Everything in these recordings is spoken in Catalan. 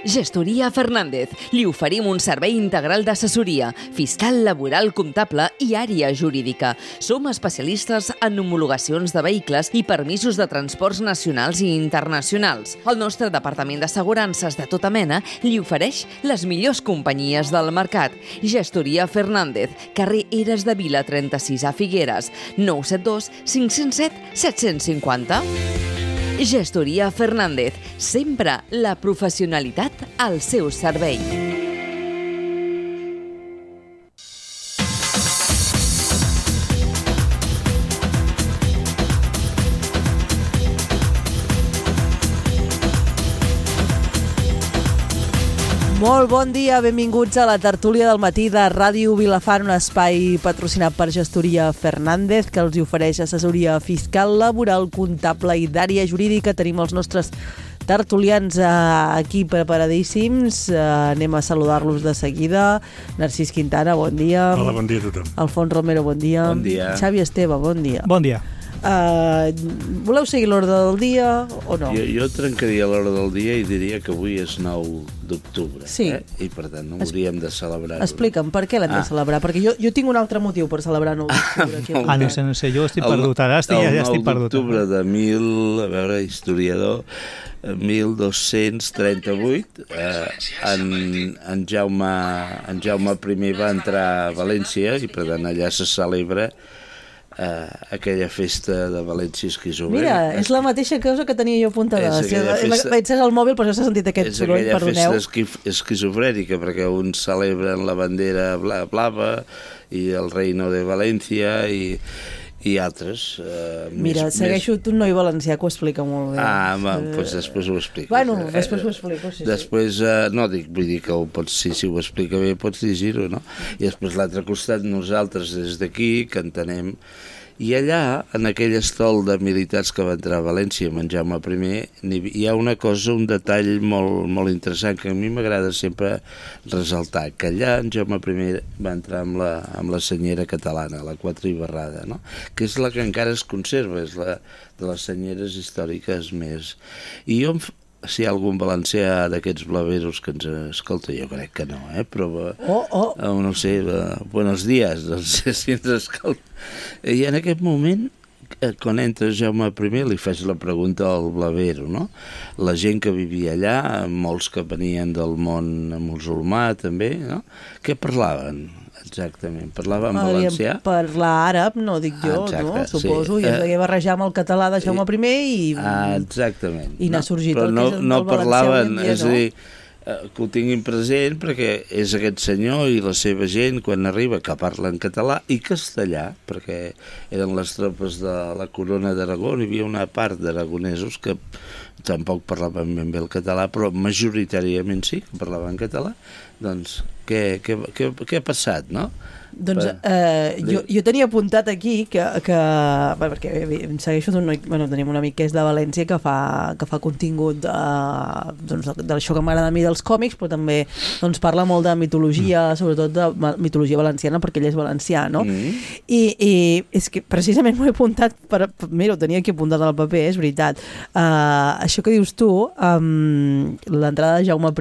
Gestoria Fernández. Li oferim un servei integral d'assessoria, fiscal, laboral, comptable i àrea jurídica. Som especialistes en homologacions de vehicles i permisos de transports nacionals i internacionals. El nostre departament d'assegurances de tota mena li ofereix les millors companyies del mercat. Gestoria Fernández, carrer Eres de Vila 36 a Figueres, 972 507 750. Gestoria Fernández, sempre la professionalitat al seu servei. Molt bon dia, benvinguts a la tertúlia del matí de Ràdio Vilafant, un espai patrocinat per Gestoria Fernández, que els ofereix assessoria fiscal, laboral, comptable i d'àrea jurídica. Tenim els nostres tertulians aquí preparadíssims. Anem a saludar-los de seguida. Narcís Quintana, bon dia. Hola, bon dia a tothom. Alfons Romero, bon dia. Bon dia. Xavi Esteve, bon dia. Bon dia. Voleu seguir l'ordre del dia o no? Jo trencaria l'hora del dia i diria que avui és 9 d'octubre. Sí. I per tant no hauríem de celebrar-ho. Explica'm, per què l'hem de celebrar? Perquè jo tinc un altre motiu per celebrar 9 d'octubre. No sé, jo estic perdut. Ara ja estic perdut. El 9 d'octubre de historiador, 1238, en Jaume I va entrar a València i per tant allà se celebra aquella festa de València esquizofrènica. Mira, és la mateixa cosa que tenia jo apuntada. Vaig cegar el mòbil, però ja s'ha sentit aquest soroll, perdoneu. És aquella festa esquizofrènica, perquè uns celebren la bandera blava i el reino de València i altres. Mira, segueixo un noi valencià que ho explica molt bé. Doncs després ho explico. Bueno, després ho explico, sí. Després, vull dir que si ho explica bé pots llegir-ho, no? I després l'altre costat, nosaltres des d'aquí, que entenem. I allà, en aquell estol de militars que va entrar a València amb en Jaume I, hi ha una cosa, un detall molt, molt interessant que a mi m'agrada sempre resaltar, que allà en Jaume I va entrar amb la senyera catalana, la Quatre Ibarrada, no? Que és la que encara es conserva, és la de les senyeres històriques més. I jo, si hi ha algun valencià d'aquests blaveros que ens escolta, jo crec que no, però no sé, buenos días, no sé si ens escolta. I en aquest moment, quan entra Jaume I, li faig la pregunta al blavero, no? La gent que vivia allà, molts que venien del món musulmà també, no? Què parlaven? Exactament, parlaven valencià? Parlar àrab, no dic jo, no? Suposo, i es deia barrejar amb el català de Jaume I i... Exactament. I n'ha sorgit el que és el valencià avui en dia, no? És a dir, que ho tinguin present perquè és aquest senyor i la seva gent quan arriba que parla en català i castellà, perquè eren les tropes de la corona d'Aragó, hi havia una part d'aragonesos que tampoc parlaven ben bé el català, però majoritàriament sí que parlaven català. Doncs què ha passat, no? Doncs jo tenia apuntat aquí perquè em segueixo d'un noi, tenim un amic que és de València que fa contingut d'això que m'agrada a mi dels còmics, però també parla molt de mitologia, sobretot de mitologia valenciana, perquè ell és valencià, no? I és que precisament m'ho he apuntat mira, ho tenia aquí apuntat al paper, és veritat. Això que dius tu, l'entrada de Jaume I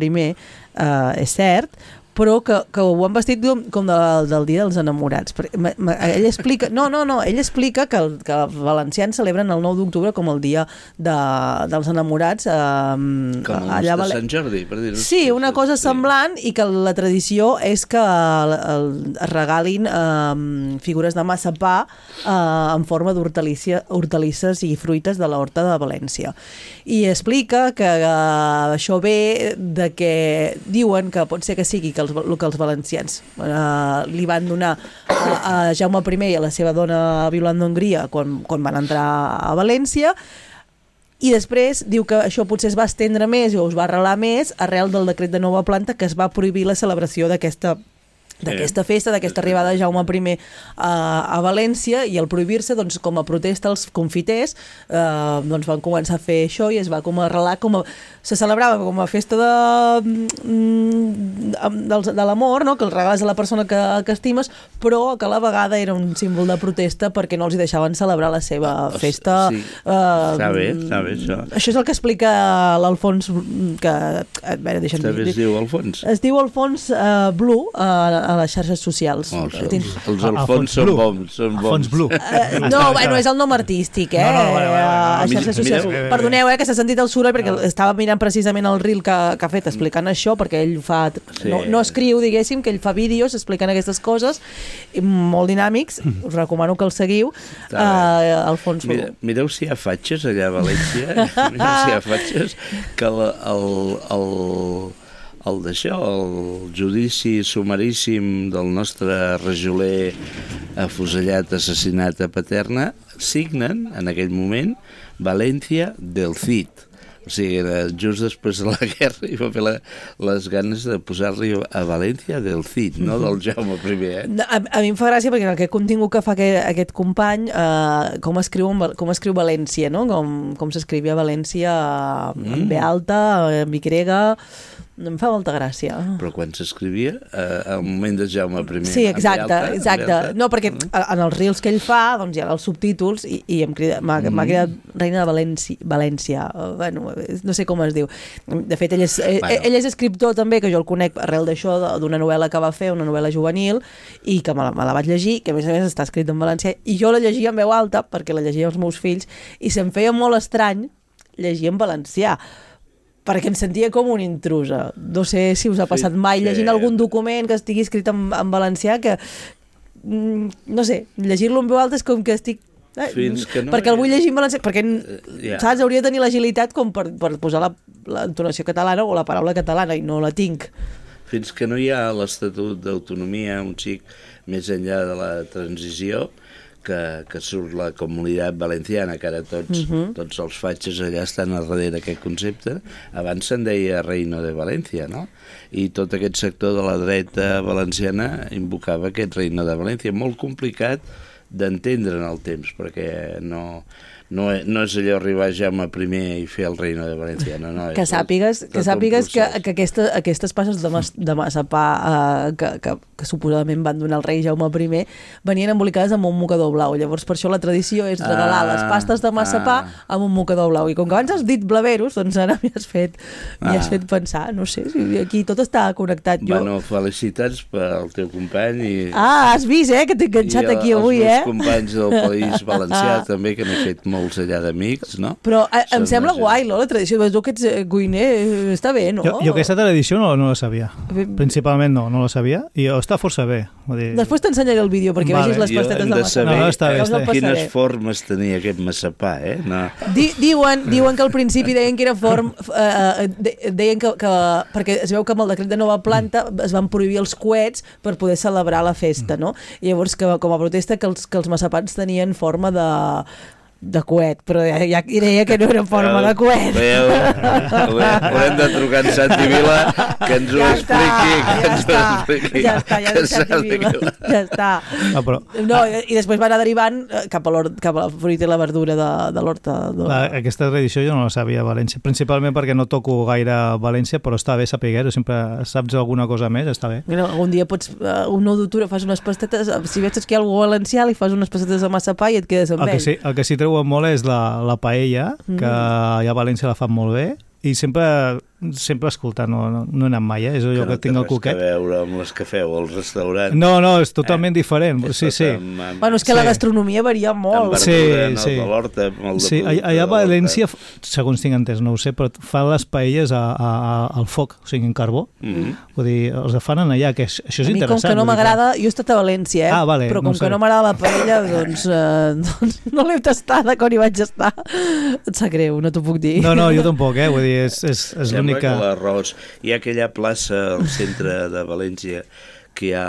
és cert, però que ho han vestit com del dia dels enamorats. Ell explica ell explica que els valencians celebren el 9 d'octubre com el dia dels enamorats. Com el de Sant Jordi, per dir-ho. Sí, una cosa semblant, i que la tradició és que es regalin figures de massapà en forma d'hortalisses i fruites de l'horta de València. I explica que això ve de que diuen que pot ser que sigui que el que els valencians li van donar a Jaume I i a la seva dona violant d'Hongria quan van entrar a València, i després diu que això potser es va estendre més o es va arrelar més arrel del decret de nova planta que es va prohibir la celebració d'aquesta d'aquesta festa, d'aquesta arribada de Jaume I a València, i al prohibir-se, doncs, com a protesta, els confiters doncs van començar a fer això i es va com a arrelar, se celebrava com a festa de l'amor, no? Que el regales a la persona que estimes, però que a la vegada era un símbol de protesta perquè no els hi deixaven celebrar la seva festa. Sí. Està bé, això. Això és el que explica l'Alfons, que... A veure, deixa'm dir. També es diu Alfons? Es diu Alfons Blu a les xarxes socials. Els Alfons són bons. Alfons Blu. No, bueno, és el nom artístic, a xarxes socials. Perdoneu, que s'ha sentit el soroll, perquè estava mirant precisament el reel que ha fet explicant això, perquè ell fa... No escriu, diguéssim, que ell fa vídeos explicant aquestes coses, molt dinàmics. Us recomano que el seguiu. Alfons Blu. Mireu si hi ha fatxes allà a València. Mireu si hi ha fatxes que el judici sumaríssim del nostre rajoler afusellat, assassinat a Paterna, signen en aquell moment València del Cid. O sigui, just després de la guerra hi va fer les ganes de posar-li a València del Cid, no del Jaume I. A mi em fa gràcia perquè en aquest contingut que fa aquest company, com escriu València, no? Com s'escrivia València amb B alta, amb Y... Em fa molta gràcia. Però quan s'escrivia, al moment de Jaume I... Sí, exacte. No, perquè en els reels que ell fa, doncs hi ha els subtítols i m'ha cridat Reina de València. Bueno, no sé com es diu. De fet, ell és escriptor també, que jo el conec arrel d'això, d'una novel·la que va fer, una novel·la juvenil, i que me la vaig llegir, que a més està escrit en valencià, i jo la llegia en veu alta, perquè la llegia als meus fills, i se'm feia molt estrany llegir en valencià, perquè em sentia com una intrusa. No sé si us ha passat mai llegint algun document que estigui escrit en valencià, que no sé, llegir-lo en veu alta és com que estic... perquè el vull llegir en valencià, perquè saps, hauria de tenir l'agilitat com per posar l'entonació catalana o la paraula catalana, i no la tinc. Fins que no hi ha l'Estatut d'Autonomia, un xic més enllà de la transició, que surt la Comunitat Valenciana, que ara tots els fatxes allà estan al darrere d'aquest concepte. Abans se'n deia Reino de València, no? I tot aquest sector de la dreta valenciana invocava aquest Reino de València. Molt complicat d'entendre en el temps, perquè no és allò arribar a Jaume I i fer el Reino de València, no. Que sàpigues que aquestes passes de massapà que suposadament van donar el rei Jaume I venien embolicades amb un mocador blau. Llavors, per això la tradició és regalar les pastes de massapà amb un mocador blau. I com que abans has dit blaveros, doncs ara m'hi has fet pensar. No sé, aquí tot està connectat. Bueno, felicitats pel teu company. Has vist, que t'he enganxat aquí avui, I els meus companys del País Valencià també, que n'he fet molts allà d'amics, no? Però em sembla guai, no?, la tradició. Tu que ets cuiner, està bé, no? Jo aquesta tradició no la sabia. Principalment no la sabia. I està força bé. Després t'ensenyaré el vídeo perquè vegis les pastetes de massapà. Jo hem de saber quines formes tenia aquest massapà, no? Diuen que al principi deien que era deien que perquè es veu que amb el decret de nova planta es van prohibir els coets per poder celebrar la festa, no? I llavors, com a protesta, que els massapans tenien forma de coet, però ja deia que no era en forma de coet. Haurem de trucar en Santi Vila que ens ho expliqui. Ja està. No, i després va anar derivant cap a la fruita i la verdura de l'horta. Aquesta tradició jo no la sabia a València, principalment perquè no toco gaire a València, però està bé saber-ho, sempre saps alguna cosa més, està bé. Algun dia pots, un nou d'octubre fas unes pastetes, si veig que hi ha algú valencià, li fas unes pastetes de massapà i et quedes amb ell. El que sí treu molt és la paella, que allà a València la fan molt bé, i sempre escoltar, no he anat mai, és allò que tinc al cuquet. Que no té res a veure amb les que feu al restaurant. No, és totalment diferent. Sí. Bueno, és que la gastronomia varia molt. De l'horta, sí, allà a València, segons tinc entès, no ho sé, però fan les paelles al foc, o sigui, en carbó. Vull dir, els fan allà, que això és interessant. A mi, com que no m'agrada, jo he estat a València, vale, però com que no m'agrada la paella, doncs no l'he tastada quan hi vaig estar. Et sap greu, no t'ho puc dir. No, jo tampoc, vull dir, és l'única... Que l'arròs, hi ha aquella plaça al centre de València que hi ha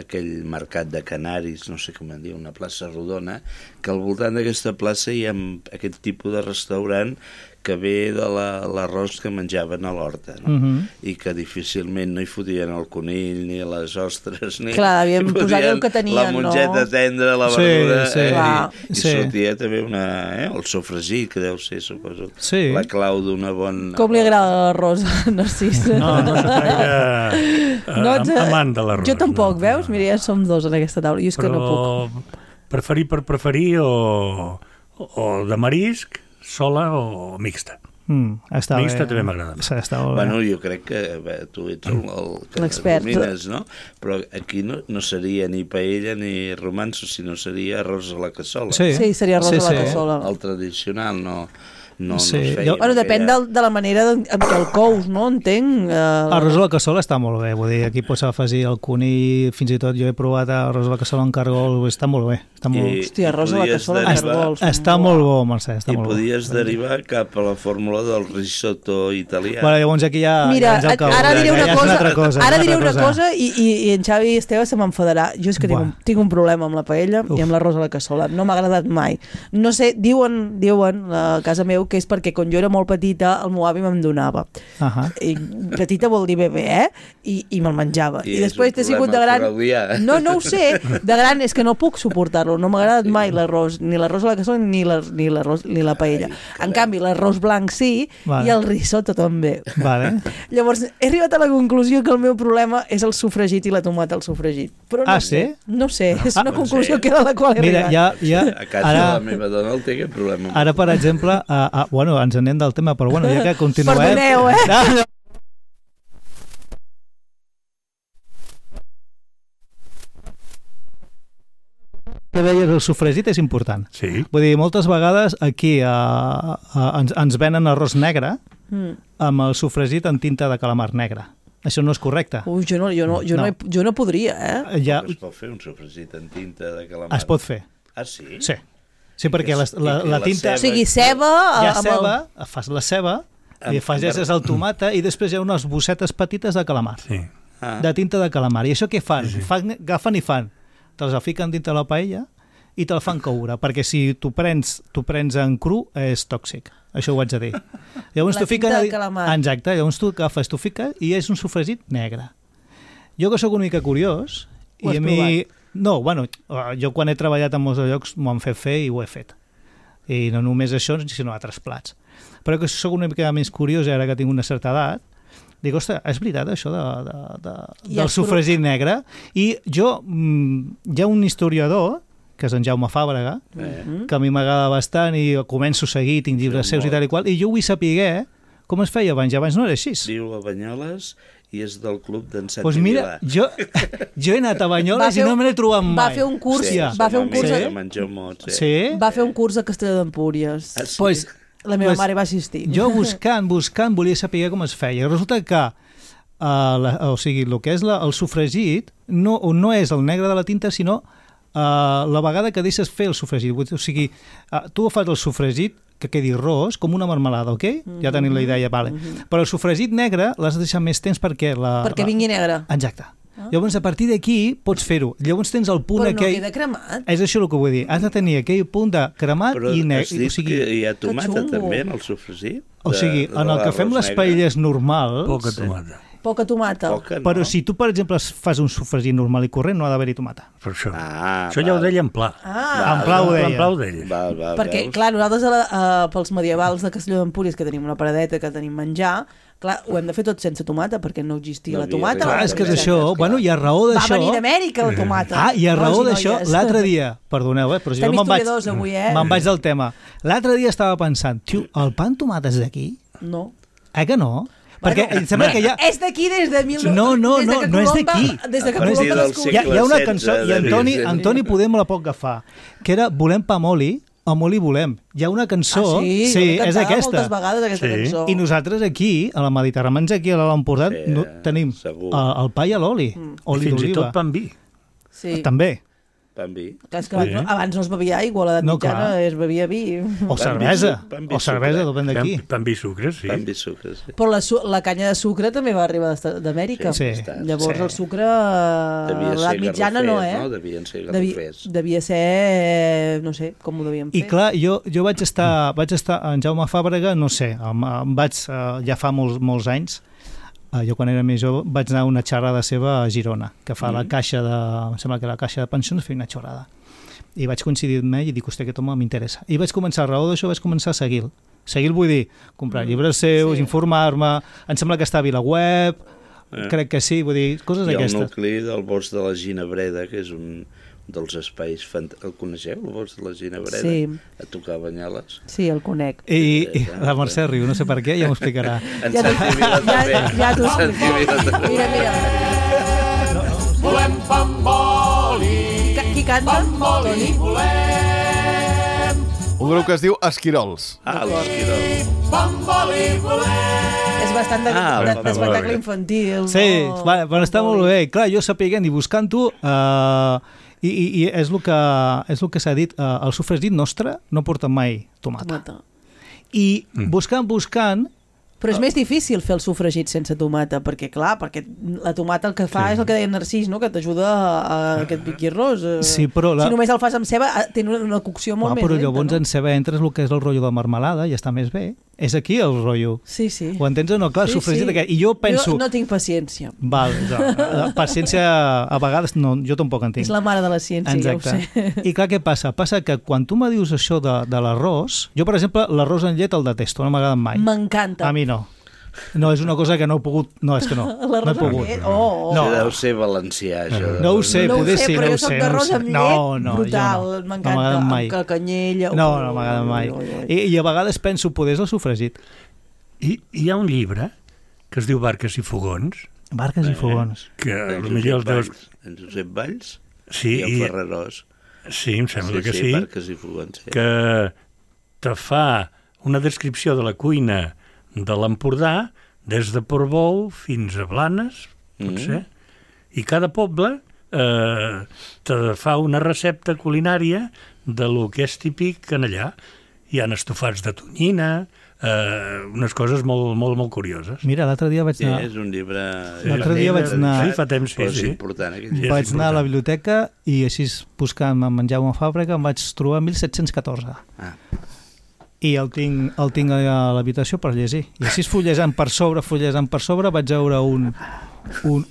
aquell mercat de canaris, no sé com en diu, una plaça rodona, que al voltant d'aquesta plaça hi ha aquest tipus de restaurant que ve de l'arròs que menjaven a l'horta, no? I que difícilment no hi fotien el conill, ni les ostres, ni... Clar, havien posat el que tenien, la mongeta tendra, la verdura, i Sí. sortia també el sofregit, que deu ser, suposo, la clau d'una bona... Com li agrada l'arròs, Narcís? No soc gaire amant de l'arròs. Jo tampoc, veus? Mira, ja som dos en aquesta taula, jo és que no puc. Preferir per preferir o de marisc, sola o mixta. Mixta també m'agrada. Bueno, jo crec que tu ets l'expert, no? Però aquí no seria ni paella ni romanço, sinó seria arròs a la cassola. Sí, seria arròs a la cassola. El tradicional, no es Sí. feia. Bueno, depèn de la manera en què el cous, no? Entenc. Arròs a la cassola està molt bé, vull dir, aquí pots afegir el conill, fins i tot jo he provat arròs a la cassola en cargol, està molt bé. Hòstia, arròs a la cassola en cargols. Està molt bo, Mercè, està molt bo. I podies derivar cap a la fórmula del risotto italià. Bueno, llavors aquí ja... Mira, ara diré una cosa, cosa i en Xavi Esteve se m'enfadarà. Jo és que tinc un problema amb la paella i amb l'arròs a la cassola. No m'ha agradat mai. No sé, diuen a casa meu que és perquè quan jo era molt petita el meu avi me'n donava. I petita vol dir bebè, I me'l menjava. I després t'he sigut de gran... No ho sé. De gran és que no puc suportar-lo. No m'ha agradat mai l'arròs, ni l'arròs a la cassola ni la paella. En canvi, l'arròs blanc sí i el risotto també. Llavors, he arribat a la conclusió que el meu problema és el sofregit i la tomata al sofregit. Però no sé. No sé, és una conclusió que a la qual he arribat. A casa de la meva dona el té aquest problema. Ara, per exemple, bueno, ens anem del tema, però bueno, ja que continuem... Perdoneu, Que deies, el sofregit és important. Sí. Vull dir, moltes vegades aquí ens venen arròs negre amb el sofregit en tinta de calamar negre. Això no és correcte. Jo no podria, Ja es pot fer un sofregit en tinta de calamar? Es pot fer. Ah, sí? Sí, perquè la tinta... O sigui, ceba... Hi ha ceba, fas la ceba, i afegeixes el tomata i després hi ha unes bossetes petites de calamar. Sí. De tinta de calamar. I això què fan? Agafen i fan. Te'ls fiquen dintre la paella i te'l fan coure, perquè si t'ho prens en cru és tòxic. Això ho haig de dir. Llavors la tinta de calamar. Exacte, llavors tu agafes, t'ho fiques i és un sofregit negre. Jo que sóc una mica curiós... Ho has provat? No, bueno, jo quan he treballat en molts llocs m'ho han fet fer i ho he fet. I no només això, sinó altres plats. Però que sóc una mica més curiós, ara que tinc una certa edat, dic, ostres, és veritat això del sofregit negre? I jo, hi ha un historiador, que és en Jaume Fàbrega, que a mi m'agrada bastant i començo a seguir, tinc llibres seus i tal i qual, i jo vull saber com es feia abans. Abans no era així. Viu a Banyoles i és del club d'en Santi Pues mira, jo he anat a Banyoles i no me l'he trobat mai. Va fer un curs... Va fer un curs a Castelló d'Empúries. Pues la meva mare va assistir. Jo buscant, volia saber com es feia. Resulta que o sigui, el que és el sofregit no és el negre de la tinta, sinó la vegada que deixes fer el sofregit. O sigui, tu fas el sofregit que quedi ros, com una marmelada, ok? Ja tenim la idea, vale. Però el sofregit negre l'has de deixar més temps perquè... Perquè vingui negre. Exacte. Llavors, a partir d'aquí, pots fer-ho. Llavors tens el punt aquell... Però no queda cremat. És això el que vull dir. Has de tenir aquell punt de cremat i negre. Però has dit que hi ha tomata també en el sofregit? O sigui, en el que fem les paelles normals... Poca tomata. Poca tomata. Però si tu, per exemple, fas un sofregit normal i corrent, no ha d'haver-hi tomata. Per això. Això ja ho deia en Pla. En Pla ho deia. En Pla ho deia. Perquè, clar, nosaltres pels medievals de Castelló d'Empúries, que tenim una paradeta, que tenim menjar, clar, ho hem de fer tot sense tomata, perquè no existia la tomata. Clar, és que és això. Bueno, hi ha raó d'això. Va venir d'Amèrica, la tomata. Hi ha raó d'això. L'altre dia, perdoneu, però jo me'n vaig del tema. L'altre dia estava pensant, tio, el pa amb tomata és d'aquí? No. Que no? Perquè em sembla que ja... És d'aquí des de... No és d'aquí. Des que Colom va descobrir. Hi ha una cançó, i Antoni poder me la pot agafar, que era Volem pa amb oli, amb oli volem. Hi ha una cançó... Sí, és aquesta. Moltes vegades aquesta cançó. I nosaltres aquí, a la Mediterrània, aquí a l'Empordà, tenim el pa i l'oli. Oli d'oliva. Fins i tot pa amb vi. També. pa amb vi. És que abans no es bevia aigua, a l'edat mitjana es bevia vi. O cervesa, depèn d'aquí. Pa amb vi sucre, sí. Pa amb vi sucre, sí. Però la canya de sucre també va arribar d'Amèrica. Sí. Llavors el sucre a l'edat mitjana no, no? Devien ser garrofers. Devia ser, no sé, com ho devíem fer. I clar, jo vaig estar en Jaume Fàbrega, no sé, ja fa molts anys. Jo quan era més jove vaig anar a una xerrada seva a Girona, que fa la caixa em sembla que la caixa de pensions feia una xerrada. I vaig coincidir amb ell i dic, hòstia, aquest home m'interessa. I vaig començar, a raó d'això, vaig començar a seguir-lo. Seguir-lo vull dir, comprar llibres seus, informar-me, em sembla que està a VilaWeb, crec que sí, vull dir, coses d'aquestes. Hi ha un nucli del bosc de la Ginebreda, que és un dels espais... El coneixeu, el bosc de la Ginebreda? Sí. A tocar Banyoles? Sí, el conec. I la Mercè riu, no sé per què, ja m'ho explicarà. En Santi Vila també. Ja t'ho explico. Mira. Volem pa amb oli. Qui canta? Toni? Un grup que es diu Esquirols. L'Esquirol. Pa amb oli volem. És bastant d'espectacle infantil. Sí, però està molt bé. Clar, jo sapiguent i buscant-ho... I és el que s'ha dit, el sofregit nostre no porta mai tomata. I buscant... Però és més difícil fer el sofregit sense tomata, perquè la tomata el que fa és el que deia Narcís, no? Que t'ajuda a aquest piqui arròs. Sí, però si només el fas amb ceba, té una cocció molt més lenta. Però llavors en ceba entres el que és el rotllo de marmelada i està més bé. És aquí el rotllo. Sí. Ho entens o no? Clar, sofregit aquest. I jo penso... Jo no tinc paciència. Val, paciència a vegades no, jo tampoc en tinc. És la mare de la ciència, exacte. Ja ho sé. I clar, què passa? Passa que quan tu me dius això de l'arròs... Jo, per exemple, l'arròs en llet el detesto, no m'agrada mai. M'encanta. A mi no. No, és una cosa que no he pogut... No, és que no. No he pogut. No. Deu ser valencià, això. No ho sé, poder sí, no ho sé. Però jo soc d'arròs amb llet brutal. M'encanta, amb canyella. No m'agrada mai. I a vegades penso, poder és el sofregit. I hi ha un llibre que es diu Barques i fogons. Barques i fogons. Que potser els deus... En Josep Valls i el Ferrerós. Sí, em sembla que sí. Barques i fogons. Que te fa una descripció de la cuina de l'Empordà, des de Portbou fins a Blanes, potser, i cada poble te fa una recepta culinària de lo que és típic en allà. Hi ha estofats de tonyina, unes coses molt, molt, molt curioses. Mira, l'altre dia vaig anar... Sí, és un llibre... L'altre dia vaig anar... Sí, fa temps, però és important. Vaig anar a la biblioteca i així buscant en Jaume Fàbrega em vaig trobar 1714. I el tinc a l'habitació per llegir. I així fullejant per sobre, vaig veure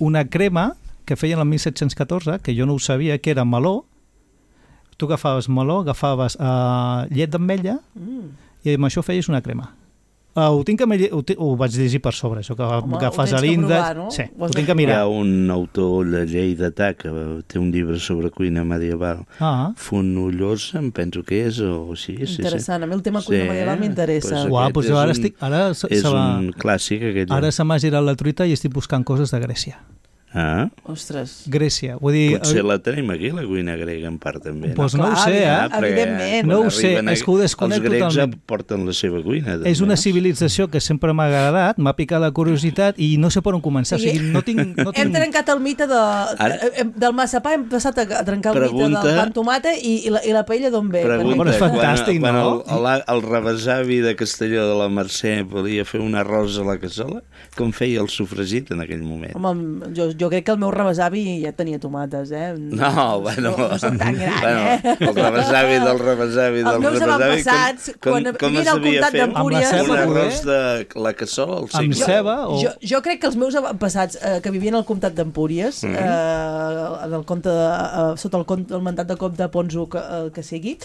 una crema que feien el 1714, que jo no ho sabia, que era meló. Tu agafaves meló, agafaves llet d'ametlla i amb això feies una crema. Ho vaig llegir per sobre, això que agafes a l'índex... No? Sí, ho tinc que mirar. Hi ha un autor de Lleidatà que té un llibre sobre cuina medieval. Fonollosa, em penso que és, o sí. Interessant, a mi el tema cuina medieval m'interessa. Pues jo ara és un clàssic, aquest. Ara se m'ha girat la truita i estic buscant coses de Grècia. Ostres. Grècia, vull dir... Potser la tenim aquí, la cuina grega, en part, també. Doncs no ho sé, evidentment. No ho sé, és que ho desconec totalment. Els grecs porten la seva cuina. És una civilització que sempre m'ha agradat, m'ha picat la curiositat i no sé per on començar. O sigui, no tinc... Hem trencat el mite del massapà, hem passat a trencar el mite del pa amb tomata i la paella d'on ve. Però és fantàstic, no? Quan el rebesavi de Castelló de la Mercè volia fer un arròs a la cassola, com feia el sofregit en aquell moment? Home, jo crec que el meu rebesavi ja tenia tomates, No, bueno... No soc tan gran, El rebesavi del rebesavi del rebesavi... Els meus avantpassats, quan vivien al comtat d'Empúries... Un arròs de la cassola al segle. Amb ceba o... Jo crec que els meus avantpassats que vivien al comtat d'Empúries, sota el mandat de comte Ponzo que sigui,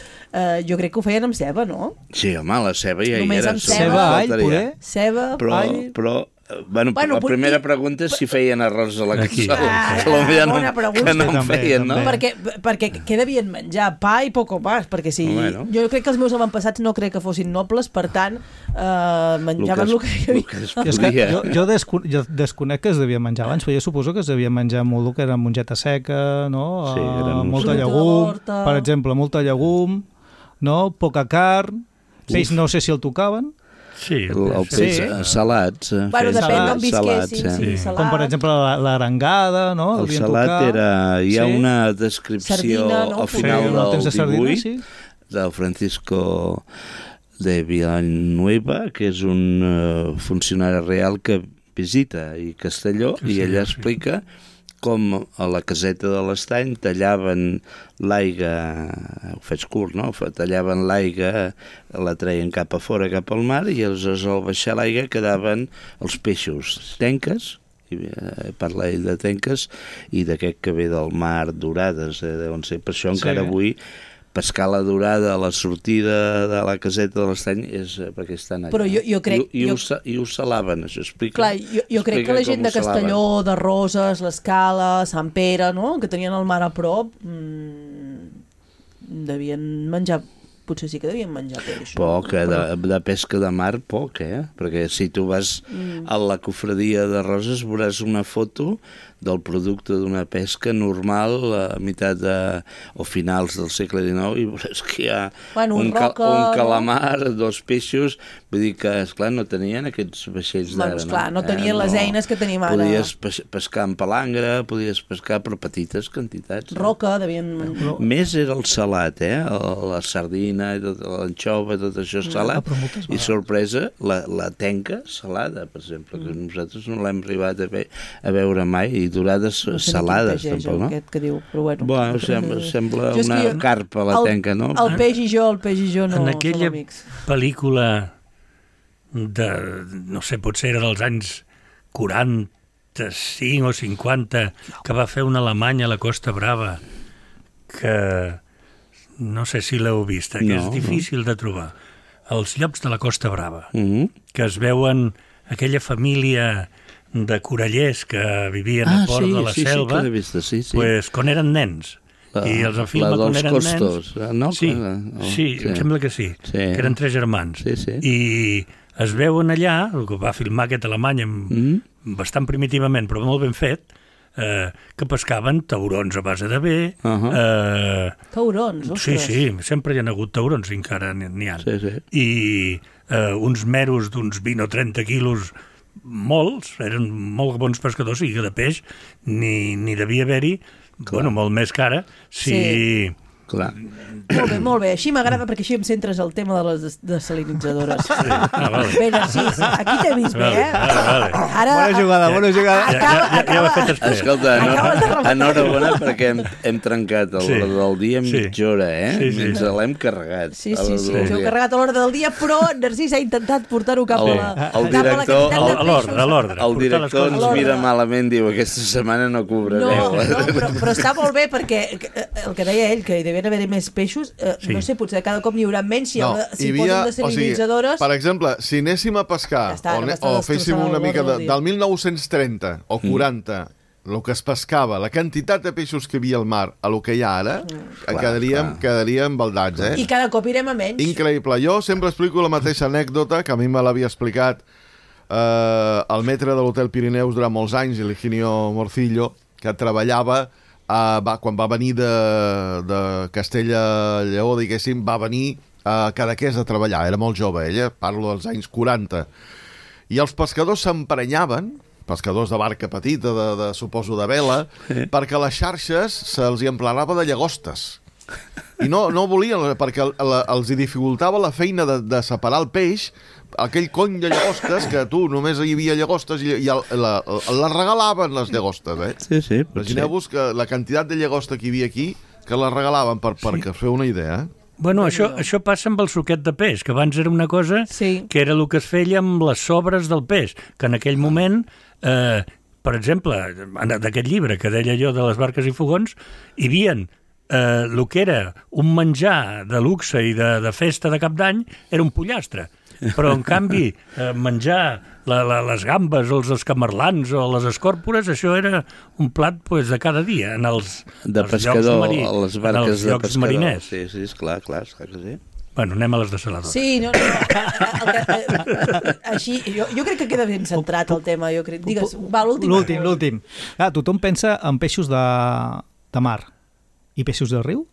jo crec que ho feien amb ceba, no? Sí, home, la ceba ja hi era. Només amb ceba, all, poder? Ceba, all... Però la primera pregunta és si feien arròs a la cassola. Bona pregunta. Que no en feien, no? Perquè què devien menjar? Pa i poco más, perquè jo crec que els meus avantpassats no crec que fossin nobles, per tant, menjaven el que hi havia. Jo desconec que es devia menjar abans, però jo suposo que es devia menjar molt el que era mongeta seca, no? Molta llegum, per exemple, molta llegum, no? Poca carn, peix no sé si el tocaven. Sí, el peix salats. Bueno, depèn d'on salats, visquessin, sí, salats. Com, per exemple, l'arengada, no? El salat era... Hi ha una descripció Sardina, no? al final Sí, del temps de sardina, 18 sí. del Francisco de Villanueva, que és un funcionari real que visita i Castelló, i ella explica com a la caseta de l'Estany tallaven l'aigua, ho faig curt, no? Tallaven l'aigua, la treien cap a fora, cap al mar, i aleshores al baixar l'aigua quedaven els peixos, tenques, parla ell de tenques, i d'aquest que ve del mar, dorades, deuen ser. Per això encara avui pescar la dorada a la sortida de la caseta de l'Estany és perquè estan allà. Però jo crec... I ho salaven, això explica. Clar, jo crec que la gent de Castelló, de Roses, l'Escala, Sant Pere, no?, que tenien el mar a prop, devien menjar... Potser sí que devien menjar peix. Poc, de pesca de mar, poc, Perquè si tu vas a la cofradia de Roses veuràs una foto del producte d'una pesca normal a meitat o finals del segle XIX, i veuràs que hi ha un calamar, dos peixos, vull dir que, esclar, no tenien aquests vaixells d'ara. Esclar, no tenien les eines que tenim ara. Podies pescar amb palangre, podies pescar per petites quantitats. Roca, devien... Més era el salat, la sardina, l'anxova, tot això salat, i sorpresa, la tenca salada, per exemple, que nosaltres no l'hem arribat a veure mai, i dorades salades, tampoc, no? Aquest que diu, però bueno. Bueno, sembla una carpa, la tenca, no? El peix i jo no en aquella som amics. Pel·lícula de, no sé, potser era dels anys 45 o 50, que va fer un alemany a la Costa Brava, que no sé si l'heu vist, que és difícil de trobar. Els llocs de la Costa Brava, que es veuen aquella família de corallers que vivien a Port de la Selva, pues, quan eren nens. I els afirma quan eren costos, nens. No? Sí, em sembla que sí, que eren 3 germans. I es veuen allà, el que va filmar aquest alemany bastant primitivament, però molt ben fet, que pescaven taurons a base de bé. Taurons, ostres. Sí, sempre hi ha hagut taurons, encara n'hi ha. I uns meros d'uns 20 o 30 quilos, molts, eren molt bons pescadors, i que de peix ni devia haver-hi, bueno, molt més cara, si... Clar. Molt bé, així m'agrada perquè així em centres el tema de les desalinitzadores. Bé, Narcís, aquí t'he vist bé, Ara, bona jugada. Ja ho he fet després. Escolta, enhorabona perquè hem trencat del dia en mitja hora, ens l'hem carregat. Sí, us heu carregat a l'hora del dia, però Narcís ha intentat portar-ho cap a la... A l'ordre. El director ens mira malament, diu, aquesta setmana no cobrareu. No, però està molt bé perquè el que deia ell, que hi devien haver més peixos, no sé, potser cada cop n'hi haurà menys si posen desalinitzadores. Per exemple, si anéssim a pescar o féssim una mica del 1930 o 40, el que es pescava, la quantitat de peixos que hi havia al mar a lo que hi ha ara, quedaríem baldats, I cada cop irem a menys. Increïble. Jo sempre explico la mateixa anècdota que a mi me l'havia explicat el metre de l'Hotel Pirineus durant molts anys, el Higinio Morcillo, que treballava quan va venir de Castella-Lleó, diguéssim, va venir a Cadaqués a treballar. Era molt jove, ella, parlo dels anys 40. I els pescadors s'emprenyaven, pescadors de barca petita, suposo de vela, perquè les xarxes se'ls hi emplenava de llagostes. I no volien, perquè els hi dificultava la feina de separar el peix, aquell cony de llagostes, que tu només hi havia llagostes i les regalaven, les llagostes, Sí, imagineu-vos que la quantitat de llagosta que hi havia aquí, que les regalaven, perquè us feu una idea, Bueno, això passa amb el suquet de peix, que abans era una cosa que era el que es feia amb les sobres del peix, que en aquell moment, per exemple, d'aquest llibre que deia jo de les barques i fogons, hi havia el que era un menjar de luxe i de festa de cap d'any, era un pollastre. Però, en canvi, menjar les gambes o els escamarlans o les escòrpores, això era un plat de cada dia en els pescador, a les barques de llocs mariners. Sí, esclar que sí. Bueno, anem a les desaladores. Sí, no. Així, jo crec que queda ben centrat el tema. Digues, va, l'últim. Tothom pensa en peixos de mar i peixos de riu.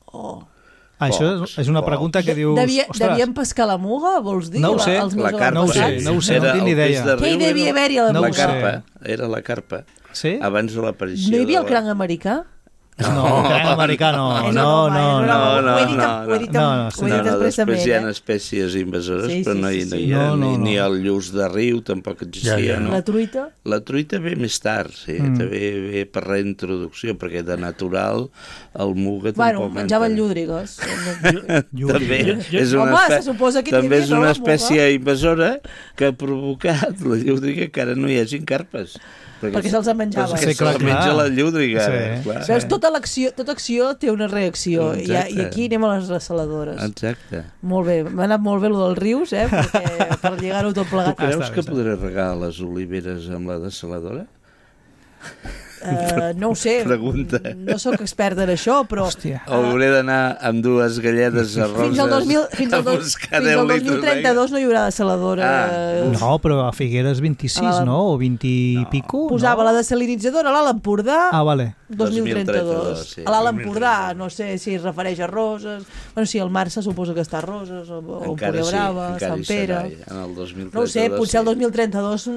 Això és una pregunta que dius... Devien pescar la muga, vols dir? No ho sé, La carpa, no ho sé, no tinc ni idea. Què hi devia haver-hi a la No ho La muga? sé. carpa, era la carpa. Sí? Abans de l'aparició... No hi havia de el cranc americà? No, cranc americà no. És No, una no, broma, no. Ho he dit expressament. Després hi ha espècies invasores, Sí, però sí, no hi sí, ha sí. ni el lluç de riu, tampoc existia, Ja, no? La truita? La truita ve més tard, sí, ve per reintroducció, perquè de natural el muga Bueno, tampoc... menjaven llúdrigues. També és Home, una, se suposa que hi també havia, és no, una la muga? espècie invasora que ha provocat la llúdriga que ara no hi hagin carpes. Perquè se'ls en menjaven. Perquè Sí, clar, se'ls menja clar. la llúdriga. Sí. Clar. Veus, tota acció té una reacció. I Exacte. aquí anem a les ressaladores. Exacte. Molt bé, m'ha anat molt bé el dels rius, perquè per lligar-ho tot Tu plegat. creus està, que està. podré regar les oliveres amb la dessaladora? No ho sé, Pregunta. no sóc experta en això, però... Hòstia. O hauré d'anar amb dues galledes arroses Fins al a buscar 10 litres d'aigua? 2032 no hi haurà dessaladora. No, però a Figueres 26, no? O 20 i pico? Posava no? la desalinitzadora a l'Alt Empordà, Ah, vale. 2032. sí. A l'Alt Empordà, no sé si es refereix a Roses. Bueno, sí, el mar se suposa que està a Roses, o Empordà Brava, Sant Pere... En el 2032, No ho sé, potser el sí. 2032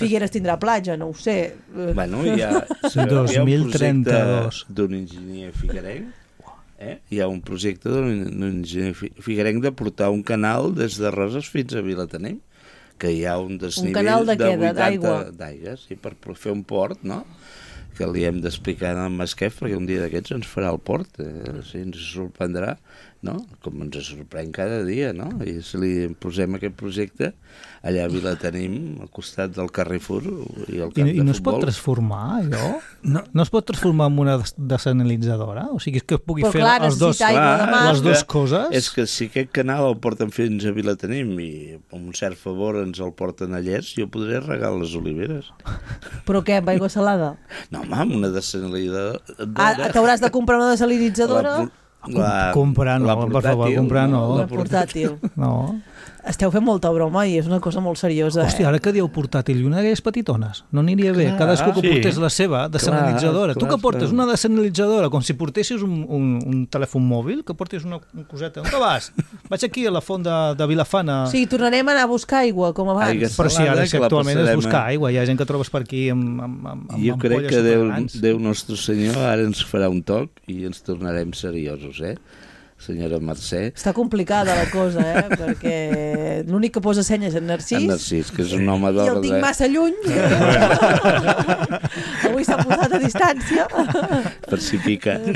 Figueres tindrà platja, no ho sé. Bueno, hi ha un 2032. projecte d'un enginyer figuerenc, hi ha un projecte d'un enginyer figuerenc de portar un canal des de Roses fins a Vilatenim, que hi ha un desnivell canal de què? 80 D'aigua? d'aigua, sí, per fer un port, no? Que li hem d'explicar al Masquef, perquè un dia d'aquests ens farà el port, sí, ens sorprendrà, no? Com ens sorprèn cada dia, no? I si li posem aquest projecte, allà a Vilatenim, al costat del Carrefour i el camp I no de es pot futbol. transformar, allò? No es pot transformar en una desalinitzadora? O sigui, que pugui Però fer clar, els dos, necessita aigua de mar. les dues coses? És que si aquest canal el porten fins a Vilatenim i amb un cert favor ens el porten a Llers, jo podré regar les oliveres. Però què, amb aigua salada? No, home, amb una desalinitzadora... T'hauràs de comprar una desalinitzadora? Comprar no, per favor, comprar no. Una portàtil. No. Esteu fent molta broma i és una cosa molt seriosa. Hòstia, ara que dieu portàtil i una d'aquelles petitones, no aniria bé? Clar, Cadascú que sí. portés la seva desalinitzadora. Clar, Tu que portes clar. una desalinitzadora, com si portessis un telèfon mòbil, que portis una coseta. On te vas? Vaig aquí a la font de Vilafana. O sigui, tornarem a anar a buscar aigua, com abans. Aigua Però sí, ara salada, sí, que la actualment és passarem buscar a- aigua. Hi ha gent que trobes per aquí amb Jo crec ampolles que supergrans. Déu Nostre Senyor ara ens farà un toc i ens tornarem seriosos, senyora Mercè. Està complicada la cosa, perquè l'únic que posa senyes és en Narcís. En Narcís, que és un home I el d'ordre. tinc massa lluny. Avui s'ha posat a distància. Per si pica. Sí,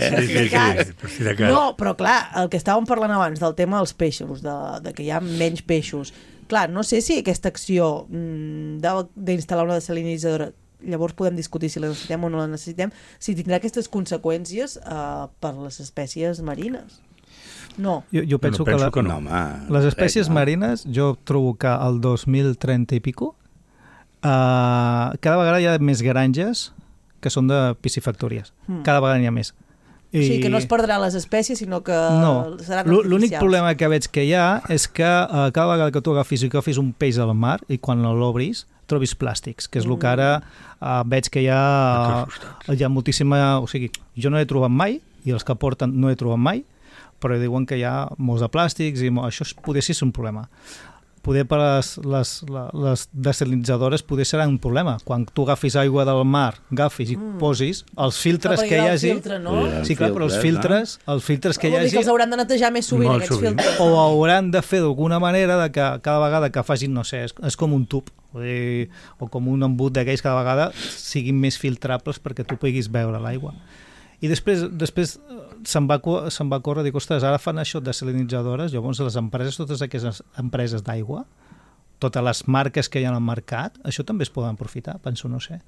per si de cas. No, però clar, el que estàvem parlant abans del tema dels peixos, de que hi ha menys peixos. Clar, no sé si aquesta acció d'instal·lar una desalinitzadora, llavors podem discutir si la necessitem o no la necessitem, si tindrà aquestes conseqüències per les espècies marines. No. Jo penso que, penso que No, home, les espècies no. marines, jo trobo que al 2030 i pico cada vegada hi ha més granges que són de piscifactories. Cada vegada n'hi ha més. O sigui, que no es perdrà les espècies, sinó que No, seran l'únic artificials. problema que veig que hi ha és que cada vegada que tu agafis un peix al mar i quan l'obris trobis plàstics, que és el que ara veig que hi ha moltíssima... O sigui, jo no he trobat mai, i els que porten no he trobat mai, però diuen que hi ha molts de plàstics i això poder ser un problema. Poder per les desalinitzadores poder serà un problema. Quan tu agafis aigua del mar, agafis i posis els filtres que hi hagi... Filtre, no? Sí, clar, però els filtres que hi Vol dir que hagi els hauran de netejar més sovint, Molt aquests sovint. filtres. o hauran de fer d'alguna manera de que cada vegada que facin, no sé, és com un tub o com un embut d'aquells, cada vegada siguin més filtrables perquè tu puguis veure l'aigua. I després se'n va córrer, dic, ostres, ara fan això de desalinitzadores, llavors les empreses, totes aquestes empreses d'aigua, totes les marques que hi ha al mercat, això també es poden aprofitar, penso, no sé.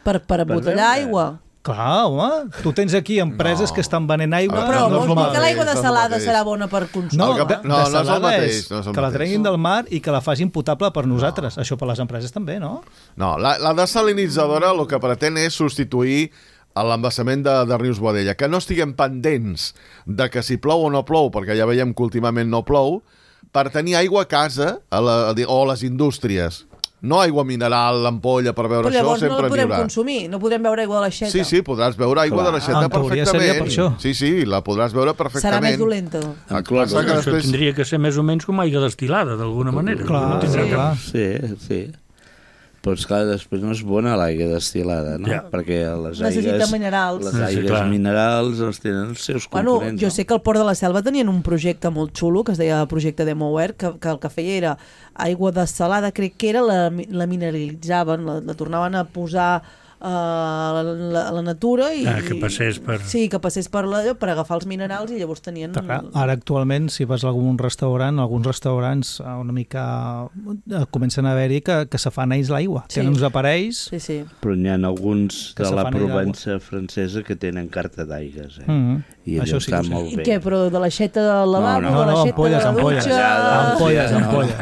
Per embotellar veure. aigua. Clar, home, tu tens aquí empreses que estan venent aigua. Però no és vols el dir que mateix, l'aigua no és el desalada mateix. serà bona per consum? No, El que- no és el desalada mateix, és no és el que la mateix. treguin del mar i que la facin potable per nosaltres. Això per les empreses també, no? No, la desalinitzadora el que pretén és substituir l'embassament de Rius Boadella, que no estiguem pendents de que si plou o no plou, perquè ja veiem que últimament no plou, per tenir aigua a casa o a les indústries. no aigua mineral, l'ampolla per beure Però això, llavors no sempre la podrem n'hi haurà. consumir, no podrem beure aigua de l'aixeta. Sí, podràs beure aigua de l'aixeta En teoria perfectament. seria per això. Sí, la podràs beure perfectament. Serà més dolenta. El que passa que Això després... tindria que ser més o menys com aigua destil·lada, d'alguna manera. Clar, No tindrà cap- clar. Sí. Però, esclar, després no és bona l'aigua destil·lada, no? Ja. Perquè les Necessita aigues... minerals. Les Sí, aigues clar. minerals els tenen els seus Bueno, components. jo sé que al Port de la Selva tenien un projecte molt xulo que es deia Projecte Demoware, que el que feia era aigua dessalada, crec que era, la mineralitzaven, la tornaven a posar a la natura i... que passés per... Sí, que passés per agafar els minerals i llavors tenien... Ara actualment, si vas a algun restaurant, alguns restaurants una mica comencen a haver-hi que se fan ells l'aigua. Sí. Tenen uns aparells... Sí. Però n'hi ha alguns Que de se la fan allà Provença francesa que tenen carta d'aigues, I allò Això sí està que ho sé. molt I bé. què, però de l'aixeta del lavabo, No, de l'aixeta ampolles, de la ampolles. dutxa... Ampolles.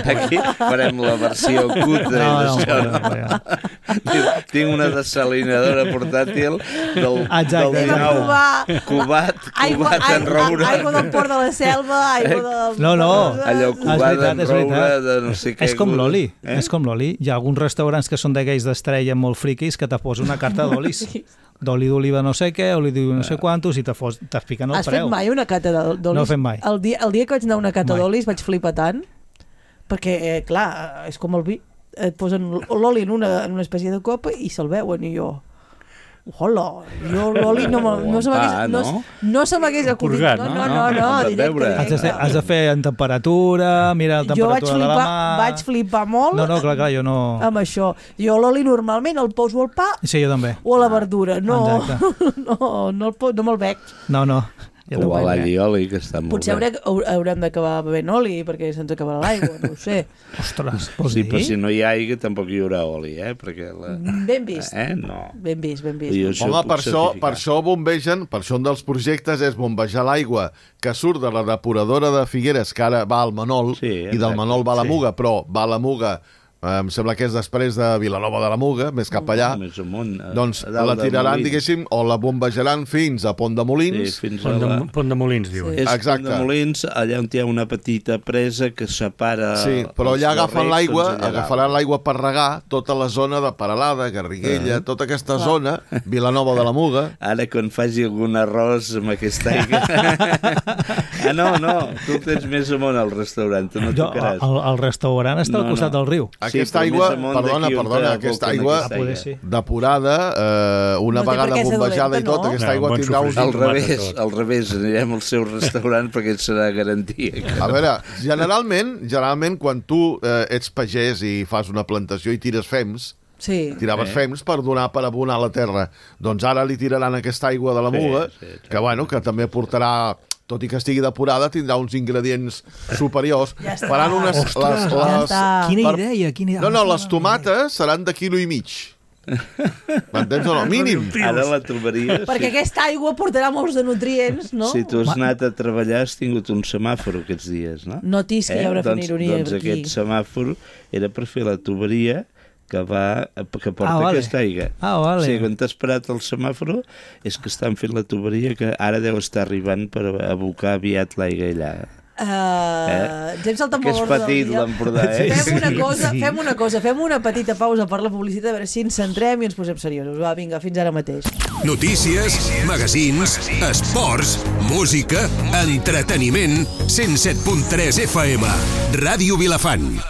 Aquí farem la versió cutre d'això. No. Diu, tinc una desalinadora portàtil del Exacte. Anem a nou. provar Cubat en roure. aigua del Port de la Selva, aigua del... No. Allò cubat en és roure veritat. de no sé què. És com l'oli, és com l'oli. Hi ha alguns restaurants que són d'aquells d'estrella molt friquis que te posen una carta d'olis. D'oli d'oliva no sé què, oli d'oliva no sé quantos, i t'expliquen el Has preu. fet mai una cata d'olis? No he fet mai. El dia que vaig anar a una cata Mai. d'olis vaig flipar tant, perquè, clar, és com el vi. Et posen l'oli en una espècie de copa i se'l veuen, i jo... Hola, jo l'oli no se m'hagués... No se m'hagués acudit. Purgat, No, directament. Has de fer en temperatura, mirar la Jo temperatura de la mà... vaig flipar molt No, clar, jo no... amb això. Jo l'oli normalment el poso al pa Sí, jo també. o a la verdura. No, Exacte. no me'l bec. No. Jo O a tampoc. l'all i oli, que està molt Potser bé. haurem d'acabar bevent oli perquè se'ns acabarà l'aigua, no ho sé. Ostres, vols Sí, dir? però si no hi ha aigua tampoc hi haurà oli, Perquè Ben vist. No. Ben vist. Jo això Home, ho puc per certificar. això bombegen, per això un dels projectes és bombejar l'aigua que surt de la depuradora de Figueres, que ara va al Manol, Sí, i del exacte, Manol va a la sí. Muga, però va a la Muga, em sembla que és després de Vilanova de la Muga, més cap allà, Més amunt, doncs a dalt la de tiraran, Molins. diguéssim, o la bombejaran fins a Pont de Sí, Molins, fins a la... Pont de Molins, diuen. Sí. És Exacte. Pont de Molins, allà on hi ha una petita presa que separa... sí, però els allà agafen garrecs, l'aigua, doncs allà agafaran dalt. l'aigua per regar tota la zona de Peralada, Garriguella, tota aquesta zona, Vilanova de la Muga. Ara, quan faci algun arròs amb aquesta aigua... no, tu tens més amunt al restaurant, tu no Jo, tocaràs. el restaurant està al costat del riu. Aquesta però aigua, més amunt perdona, d'aquí on aquesta aboquen aigua aquesta poder sí. depurada, una No té per vegada què ser bombejada i dolenta, tot, no? aquesta No, aigua bon tindrà uns... sofregit. Al revés, anirem al seu restaurant perquè et serà garantia. A veure, generalment quan tu ets pagès i fas una plantació i tires fems, Sí. tiraves fems per abonar la terra, doncs ara li tiraran aquesta aigua de la Muga, que bueno, que també portarà, tot i que estigui depurada, tindrà uns ingredients superiors. Ja està. Faran unes... Ostres, ja està. Quina per- idea, quina idea. No, les tomates seran de quilo i mig. M'entens o no? Mínim. Ara la trobaries... Perquè aquesta aigua portarà molts de nutrients, no? Si tu has anat a treballar, has tingut un semàfor aquests dies, no? Notis que hi haurà fent ironia doncs aquí. aquest semàfor era per fer la tuberia que porta vale. aquesta aigua. Vale. O sigui, quan t'has parat el semàfor és que estan fent la tuberia que ara deu estar arribant per abocar aviat l'aigua allà. Ens hem saltat Que molt és l'ordre del petit, dia. l'Empordà, Fem una cosa, fem una petita pausa a veure si ens centrem i ens posem seriosos. Va, vinga, fins ara mateix. Notícies, magazins, esports, música, entreteniment, 107.3 FM, Ràdio Vilafant.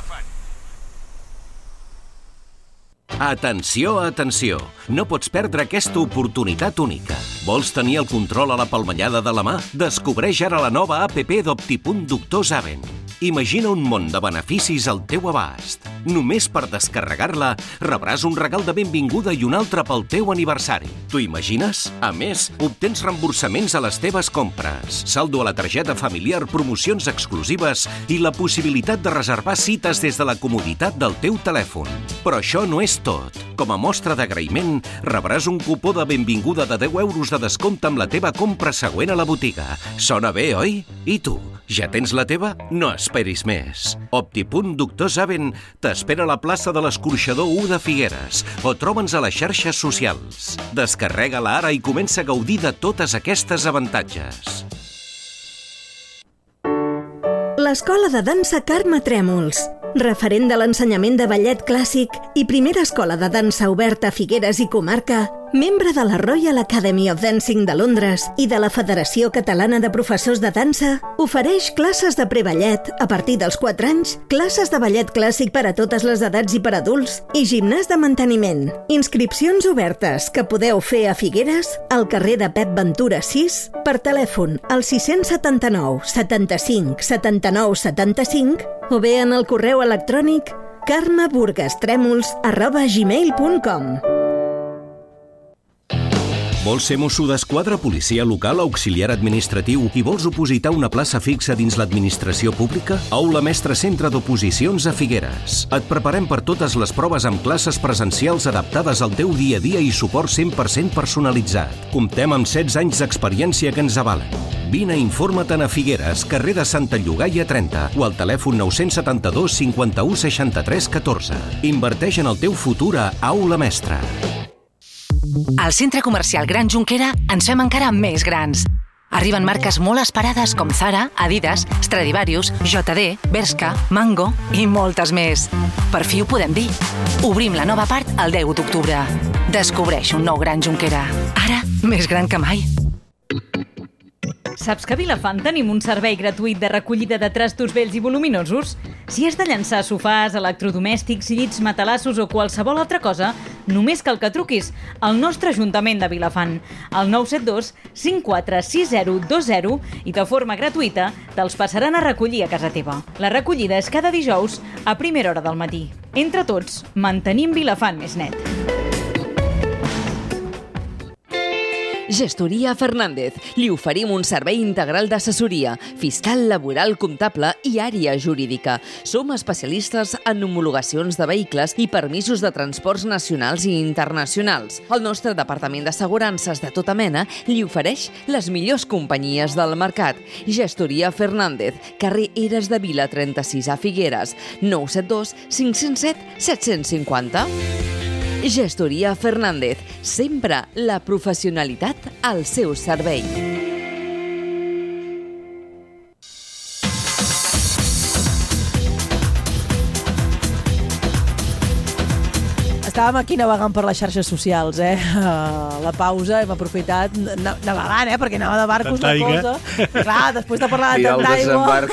Atenció, atenció! No pots perdre aquesta oportunitat única. Vols tenir el control a la palmellada de la mà? Descobreix ara la nova APP d'Optipunt Doctor Zaven. Imagina un món de beneficis al teu abast. Només per descarregar-la rebràs un regal de benvinguda i un altre pel teu aniversari. T'ho imagines? A més, obtens reemborsaments a les teves compres, saldo a la targeta familiar, promocions exclusives i la possibilitat de reservar cites des de la comoditat del teu telèfon. Però això no és tot. Com a mostra d'agraïment, rebràs un cupó de benvinguda de 10 euros de descompte amb la teva compra següent a la botiga. Sona bé, oi? I tu, ja tens la teva? No esperis més. Optipunt Doctor Zaven t'espera a la plaça de l'Escorxador 1 de Figueres o troba'ns a les xarxes socials. Descarrega-la ara i comença a gaudir de totes aquestes avantatges. L'Escola de Dansa Carme Trèmols. referent de l'ensenyament de ballet clàssic i primera escola de dansa oberta a Figueres i comarca, membre de la Royal Academy of Dancing de Londres i de la Federació Catalana de Professors de Dansa, ofereix classes de preballet a partir dels 4 anys, classes de ballet clàssic per a totes les edats i per a adults i gimnàs de manteniment. Inscripcions obertes que podeu fer a Figueres, al carrer de Pep Ventura 6, per telèfon al 679 75 79 75 o bé en el correu electrònic carmeburgastremols@gmail.com. Vols ser mosso d'esquadra, policia local, auxiliar administratiu i vols opositar una plaça fixa dins l'administració pública? Aula Mestre Centre d'Oposicions a Figueres. Et preparem per totes les proves amb classes presencials adaptades al teu dia a dia i suport 100% personalitzat. Comptem amb 16 anys d'experiència que ens avalen. Vine i informa-te'n a Figueres, carrer de Santa Llogaia 30 o al telèfon 972 51 63 14. Inverteix en el teu futur a Aula Mestre. Al Centre Comercial Gran Jonquera ens fem encara més grans. Arriben marques molt esperades com Zara, Adidas, Stradivarius, JD, Bershka, Mango i moltes més. Per fi ho podem dir. Obrim la nova part el 10 d'octubre. Descobreix un nou Gran Jonquera. Ara, més gran que mai. Saps que a Vilafant tenim un servei gratuït de recollida de trastos vells i voluminosos? Si has de llançar sofàs, electrodomèstics, llits, matalassos o qualsevol altra cosa, només cal que truquis al nostre Ajuntament de Vilafant, al 972 546020 i de forma gratuïta te'ls passaran a recollir a casa teva. La recollida és cada dijous a primera hora del matí. Entre tots, mantenim Vilafant més net. Gestoria Fernández. Li oferim un servei integral d'assessoria, fiscal, laboral, comptable i àrea jurídica. Som especialistes en homologacions de vehicles i permisos de transports nacionals i internacionals. El nostre departament d'assegurances de tota mena li ofereix les millors companyies del mercat. Gestoria Fernández, carrer Eres de Vila 36 a Figueres, 972 507 750. Gestoria Fernández, sempre la professionalitat al seu servei. Estàvem aquí navegant per les xarxes socials, la pausa hem aprofitat navegant, perquè anava de barcos la cosa. Clar, després de parlar de tant d'aigua...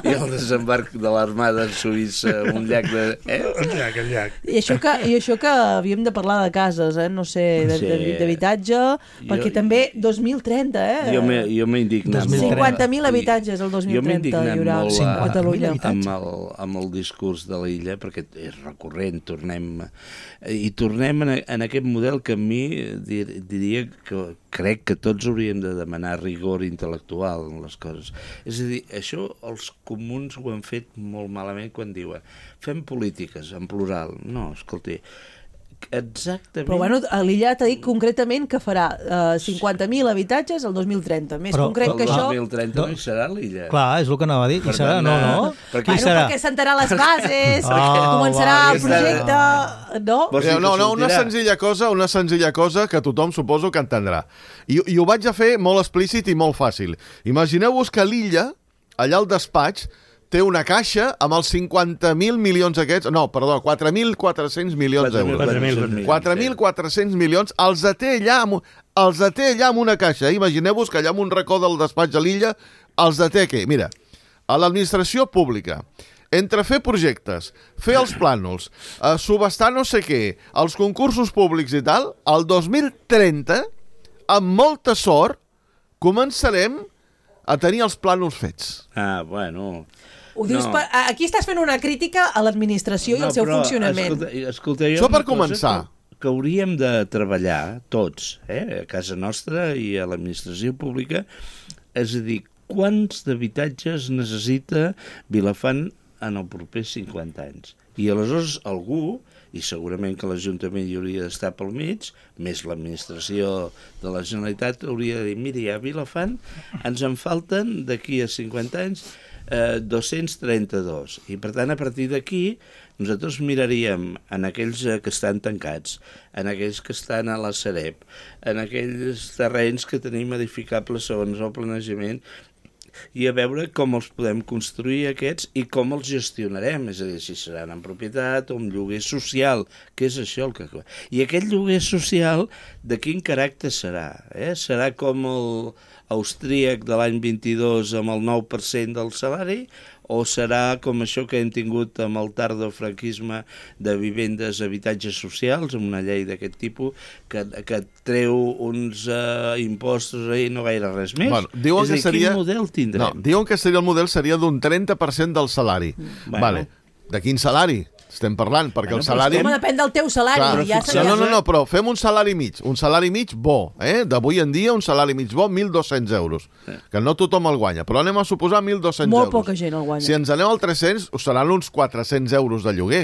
I el desembarc de l'Armada Suïssa, un llac de... El llac. I això que havíem de parlar de cases, no sé, d'habitatge, perquè també 2030, Jo m'he indignat molt. 50.000 habitatges el 2030 hi haurà a Catalunya. Amb el discurs de l'illa, perquè és recurrent, tornem en aquest model que a mi diria que crec que tots hauríem de demanar rigor intel·lectual en les coses. És a dir, això els comuns ho han fet molt malament quan diuen fem polítiques en plural. No, escolti, exactament... Però bueno, l'illa t'ha dit concretament que farà 50.000 habitatges el 2030. Més concret que això... El 2030 no hi serà l'illa. Clar, és el que anava a dir. Hi serà, no? Perquè sentarà les bases, començarà el projecte... No, una senzilla cosa que tothom suposo que entendrà. I ho vaig a fer molt explícit i molt fàcil. Imagineu-vos que l'illa, allà al despatx, té una caixa amb els 50.000 milions aquests... No, perdó, 4.400 milions d'euros. 4.400 milions els té allà amb una caixa. Imagineu-vos que allà en un racó del despatx a l'illa els té què? Mira, a l'administració pública, entre fer projectes, fer els plànols, subestar no sé què, els concursos públics i tal, el 2030, amb molta sort, començarem a tenir els plànols fets. Bueno... Ho dius aquí estàs fent una crítica a l'administració i al seu funcionament. Escolta, això per començar. Que hauríem de treballar tots, a casa nostra i a l'administració pública, és a dir, quants d'habitatges necessita Vilafant en els propers 50 anys. I aleshores algú, i segurament que l'Ajuntament hi hauria d'estar pel mig, més l'administració de la Generalitat, hauria de dir, miri, a Vilafant ens en falten d'aquí a 50 anys 232. I per tant, a partir d'aquí, nosaltres miraríem en aquells que estan tancats, en aquells que estan a la Sareb, en aquells terrenys que tenim edificables segons el planejament, i a veure com els podem construir aquests i com els gestionarem, és a dir, si seran en propietat o en lloguer social, que és això el que... I aquest lloguer social, de quin caràcter serà? Serà com el austríac de l'any 22 amb el 9% del salari, o serà com això que hem tingut amb el tardofranquisme de vivendes, habitatges socials, amb una llei d'aquest tipus, que treu uns impostos i no gaire res més? Bueno, diuen és a dir, que seria... quin model tindrem? No, diuen que el model seria d'un 30% del salari. Bueno. Vale. De quin salari estem parlant? Perquè el salari... Home, depèn del teu salari. Clar, no, però fem un salari mig. Un salari mig bo. D'avui en dia, un salari mig bo, 1.200 euros. Que no tothom el guanya. Però anem a suposar 1.200 euros. Molt poca gent el guanya. Si ens anem al 300, us seran uns 400 euros de lloguer.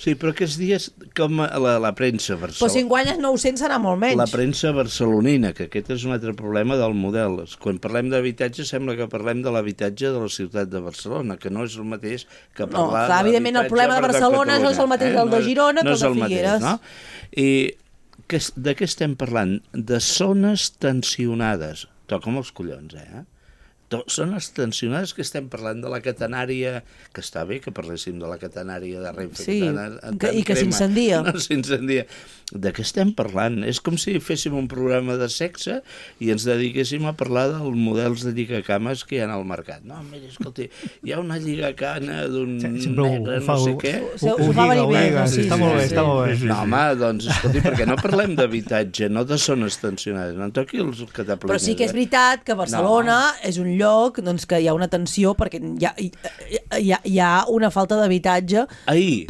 Sí, però aquests dies, com la premsa barcelonina... Però si en guanyes 900 serà molt menys. La premsa barcelonina, que aquest és un altre problema del model. Quan parlem d'habitatge, sembla que parlem de l'habitatge de la ciutat de Barcelona, que no és el mateix que parlar... No, clar, evidentment el problema de Barcelona no és el mateix del de Girona que el de Figueres. No? I de què estem parlant? De zones tensionades. Toca'm els collons, Són les tensionades que estem parlant de la catenària, que està bé que parléssim de la catenària de Renfe. Sí, i que s'incendia. No, s'incendia. De què estem parlant? És com si féssim un programa de sexe i ens dediquéssim a parlar dels models de lligacames que hi ha al mercat. No, mira, escolti, hi ha una lligacana d'un negre, no sé què. Ho fa venir bé. Està molt bé, està molt bé. No, home, doncs, escolti, perquè no parlem d'habitatge, no de zones tensionades. No en toqui els cataplines. Però sí que és veritat que Barcelona és un lloc doncs, que hi ha una tensió perquè hi ha una falta d'habitatge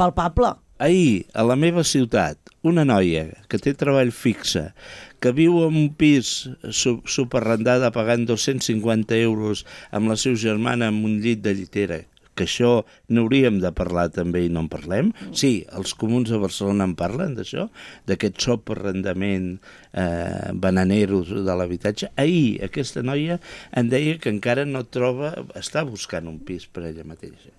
palpable. Ahir, a la meva ciutat, una noia que té treball fixe, que viu en un pis superrendada pagant 250 euros amb la seva germana en un llit de llitera, que això n'hauríem de parlar també i no en parlem. Sí, els comuns de Barcelona en parlen d'això, d'aquest superrendament bananero de l'habitatge. Ahir aquesta noia em deia que encara no troba, està buscant un pis per ella mateixa.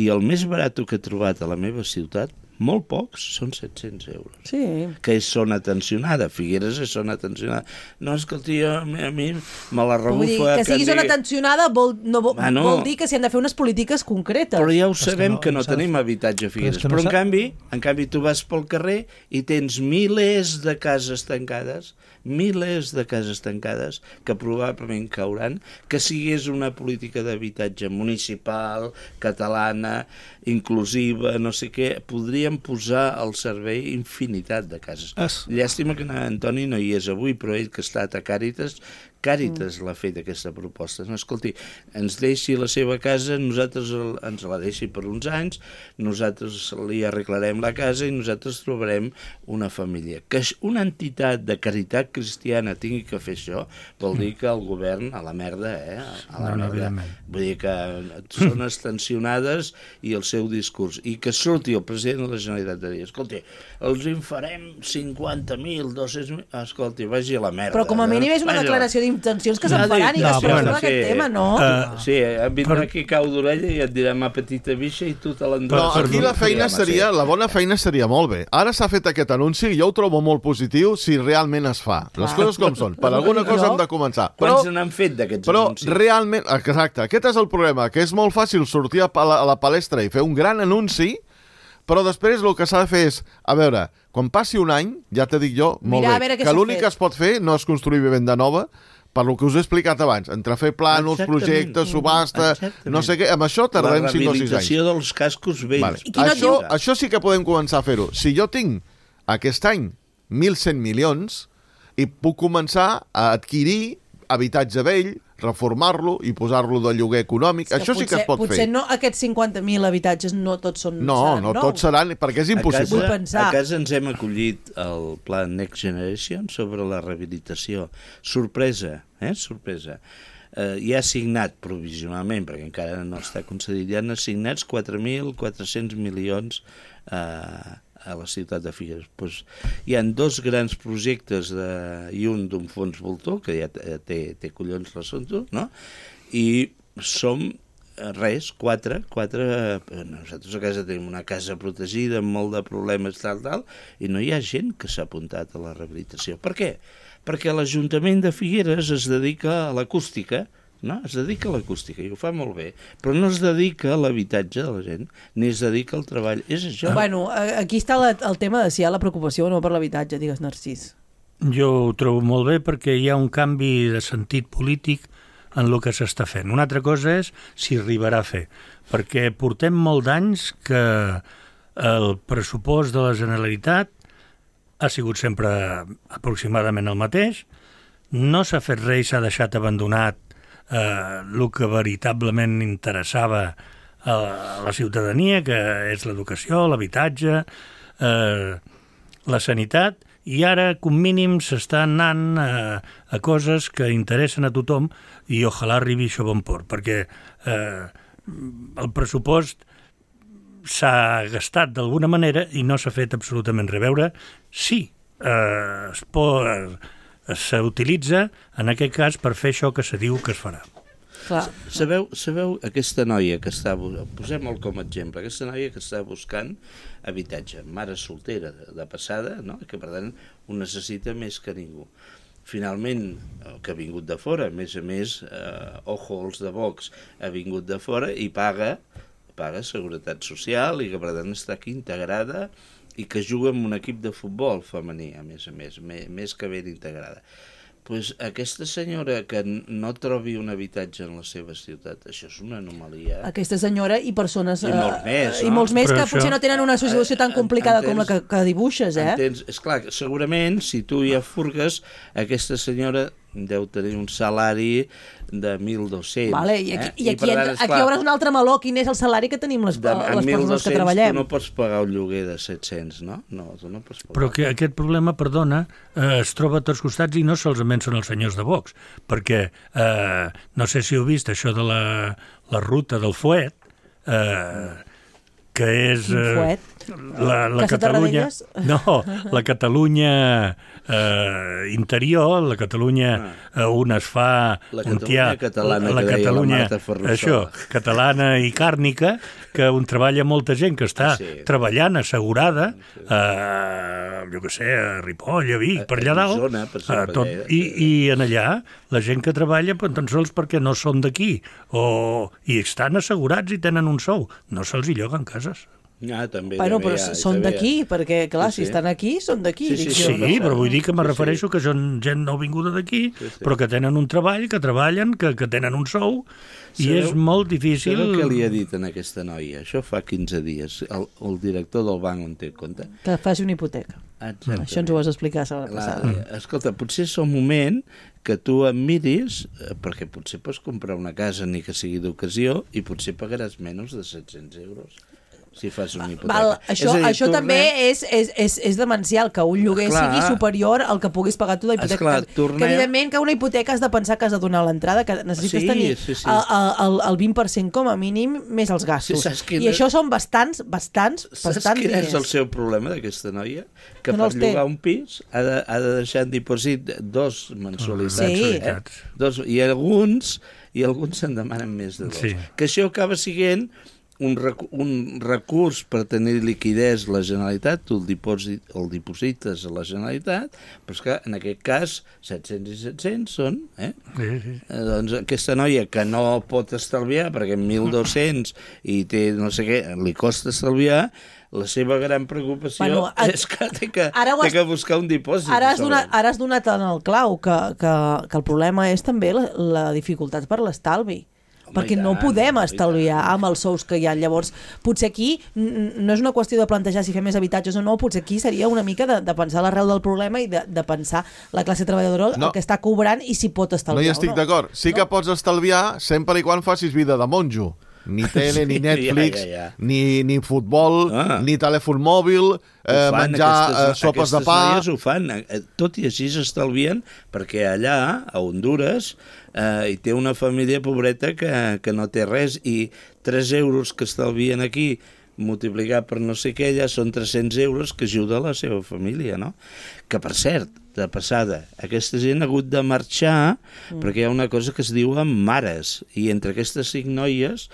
I el més barat que he trobat a la meva ciutat, molt pocs, són 700 euros. Sí. Que és zona tensionada. Figueres és zona tensionada. No, escolti, a mi me la rebufa... Que sigui zona tensionada vol dir que s'hi han de fer unes polítiques concretes. Però ja ho sabem que no tenim habitatge a Figueres. Però en canvi tu vas pel carrer i tens milers de cases tancades, que probablement cauran, que sigués una política d'habitatge municipal, catalana, inclusiva, no sé què, podríem posar al servei infinitat de cases. Llàstima que Antoni no hi és avui, però ell que ha estat a Càritas l'ha fet aquesta proposta. No, escolti, ens deixi la seva casa, nosaltres ens la deixi per uns anys, nosaltres li arreglarem la casa i nosaltres trobarem una família. Que una entitat de caritat cristiana tingui que fer això, vol dir que el govern a la merda, a la merda. Vull dir que zones tensionades i el seu discurs. I que surti el president de la Generalitat de dir, escolti, els en farem 50.000, 200.000... Escolti, vagi a la merda. Però com a mínim és una declaració d'intencions que se'n faran i que es parla d'aquest tema, no? Sí, vindrà aquí cau d'orella i et dirà ma petita bicha i tu te l'enduràs. Però aquí la feina seria, la bona feina seria molt bé. Ara s'ha fet aquest anunci i jo ho trobo molt positiu si realment es fa. Les coses com són. Per alguna cosa hem de començar. Quants n'han fet d'aquests anuncis? Però realment, exacte, aquest és el problema, que és molt fàcil sortir a la palestra i fer un gran anunci, però després el que s'ha de fer és, a veure, quan passi un any, ja t'he dit jo, molt bé, que l'únic que es pot fer no és construir vivenda nova, per lo que us he explicat abans, entre fer plànols, projectes, subhasta, no sé què, amb això tardarem 5 o 6 anys. La rehabilitació dels cascos vells. Això sí que podem començar a fer-ho. Si jo tinc aquest any 1.100 milions i puc començar a adquirir habitatge vell, reformar-lo i posar-lo de lloguer econòmic, això sí que es pot fer. Potser no, aquests 50.000 habitatges no tots seran nous. No tots seran, perquè és impossible. A casa ens hem acollit el pla Next Generation sobre la rehabilitació. Sorpresa, sorpresa. Ja ha signat provisionalment, perquè encara no està concedit, ja han assignats 4.400 milions a la ciutat de Figueres. Hi ha 2 grans projectes i un d'un fons voltor, que ja té collons l'assumpte, no? I som 4. Nosaltres a casa tenim una casa protegida amb molt de problemes, tal, i no hi ha gent que s'ha apuntat a la rehabilitació. Per què? Perquè l'Ajuntament de Figueres es dedica a l'acústica, no? Es dedica a l'acústica i ho fa molt bé, però no es dedica a l'habitatge de la gent, ni es dedica al treball. És això. Bueno, aquí està el tema de si hi ha la preocupació o no per l'habitatge, digues, Narcís. Jo ho trobo molt bé perquè hi ha un canvi de sentit polític en el que s'està fent. Una altra cosa és si arribarà a fer, perquè portem molt d'anys que el pressupost de la Generalitat ha sigut sempre aproximadament el mateix, no s'ha fet res i s'ha deixat abandonat el que veritablement interessava a la ciutadania, que és l'educació, l'habitatge, la sanitat, i ara, com mínim, s'està anant a coses que interessen a tothom i ojalà arribi això a bon port, perquè el pressupost s'ha gastat d'alguna manera i no s'ha fet absolutament res. Veure si s'utilitza, en aquest cas, per fer això que se diu que es farà. Clar. Sabeu aquesta noia que està... Posem-la com a exemple. Aquesta noia que està buscant habitatge, mare soltera de passada, no? Que per tant ho necessita més que ningú. Finalment, que ha vingut de fora, a més, ojo els de Vox, ha vingut de fora i paga seguretat social i que per tant està aquí integrada i que juga en un equip de futbol femení, a més que ben integrada. Pues aquesta senyora que no trobi un habitatge en la seva ciutat, això és una anomalia. Aquesta senyora i persones... I molts més, no? I molts més que això... potser no tenen una situació tan complicada com la que dibuixes, eh? Entens? Esclar, segurament, si tu ja furgues, aquesta senyora deu tenir un salari de 1.200. Vale, i aquí obres un altre meló, quin és el salari que tenim les persones que treballem. Tu no pots pagar un lloguer de 700, no? No, tu no pots pagar. Però que aquest problema, perdona, es troba a tots costats i no solament són els senyors de Vox, perquè no sé si heu vist això de la ruta del fuet, que és la Catalunya... No, la Catalunya interior, la Catalunya on es fa... La Catalunya catalana, la que deia la Marta Catalunya, Ferrusola. això, catalana i càrnica, que on treballa molta gent que està treballant assegurada, jo què sé, a Ripoll, a Vic, per allà dalt, i en allà la gent que treballa tan sols perquè no són d'aquí, i estan assegurats i tenen un sou, no se'ls hi lloguen cases. També però són d'aquí, perquè, clar, si estan aquí, són d'aquí. Sí, però vull dir que me refereixo que són gent no vinguda d'aquí, però que tenen un treball, que treballen, que tenen un sou, i és molt difícil... Sabeu què li ha dit a aquesta noia? Això fa 15 dies, el director del banc on té compte. Que faci una hipoteca. Exactament. Això ens ho vas explicar la setmana passada. Escolta, potser és el moment que tu em miris, perquè potser pots comprar una casa ni que sigui d'ocasió i potser pagaràs menys de 700 euros. Si fas una hipoteca. Això també és demencial, que un lloguer sigui superior al que puguis pagar tu d'hipoteca. Que evidentment que una hipoteca has de pensar que has de donar l'entrada, que necessites tenir el 20% com a mínim més els gastos. I això són bastants diners. Saps quin és el seu problema d'aquesta noia? Que per llogar un pis ha de deixar en dipòsit 2 mensualitats. I alguns se'n demanen més de 2. Que això acaba sent un recurs per tenir liquidez la Generalitat, tu el diposites a la Generalitat, però és que en aquest cas 700 i 700 són, doncs aquesta noia que no pot estalviar perquè 1.200 i té no sé què, li costa estalviar, la seva gran preocupació és que té que buscar un dipòsit. Ara has donat en el clau que el problema és també la dificultat per l'estalvi. Perquè no podem estalviar amb els sous que hi ha. Llavors, potser aquí no és una qüestió de plantejar si fer més habitatges o no, potser aquí seria una mica de pensar l'arrel del problema i de pensar la classe treballadora el que està cobrant i si pot estalviar o no. No hi estic d'acord. Sí que pots estalviar sempre i quan facis vida de monjo. Ni tele, ni Netflix, ni futbol, ni telèfon mòbil, menjar sopes de pa... Aquestes noies ho fan, tot i així s'estalvien, perquè allà, a Honduras, hi té una família pobreta que no té res, i 3 euros que estalvien aquí multiplicar per no sé què, ja són 300 euros que ajuda a la seva família, no? Que, per cert, de passada, aquesta gent ha hagut de marxar perquè hi ha una cosa que es diu mares, i entre aquestes 5 noies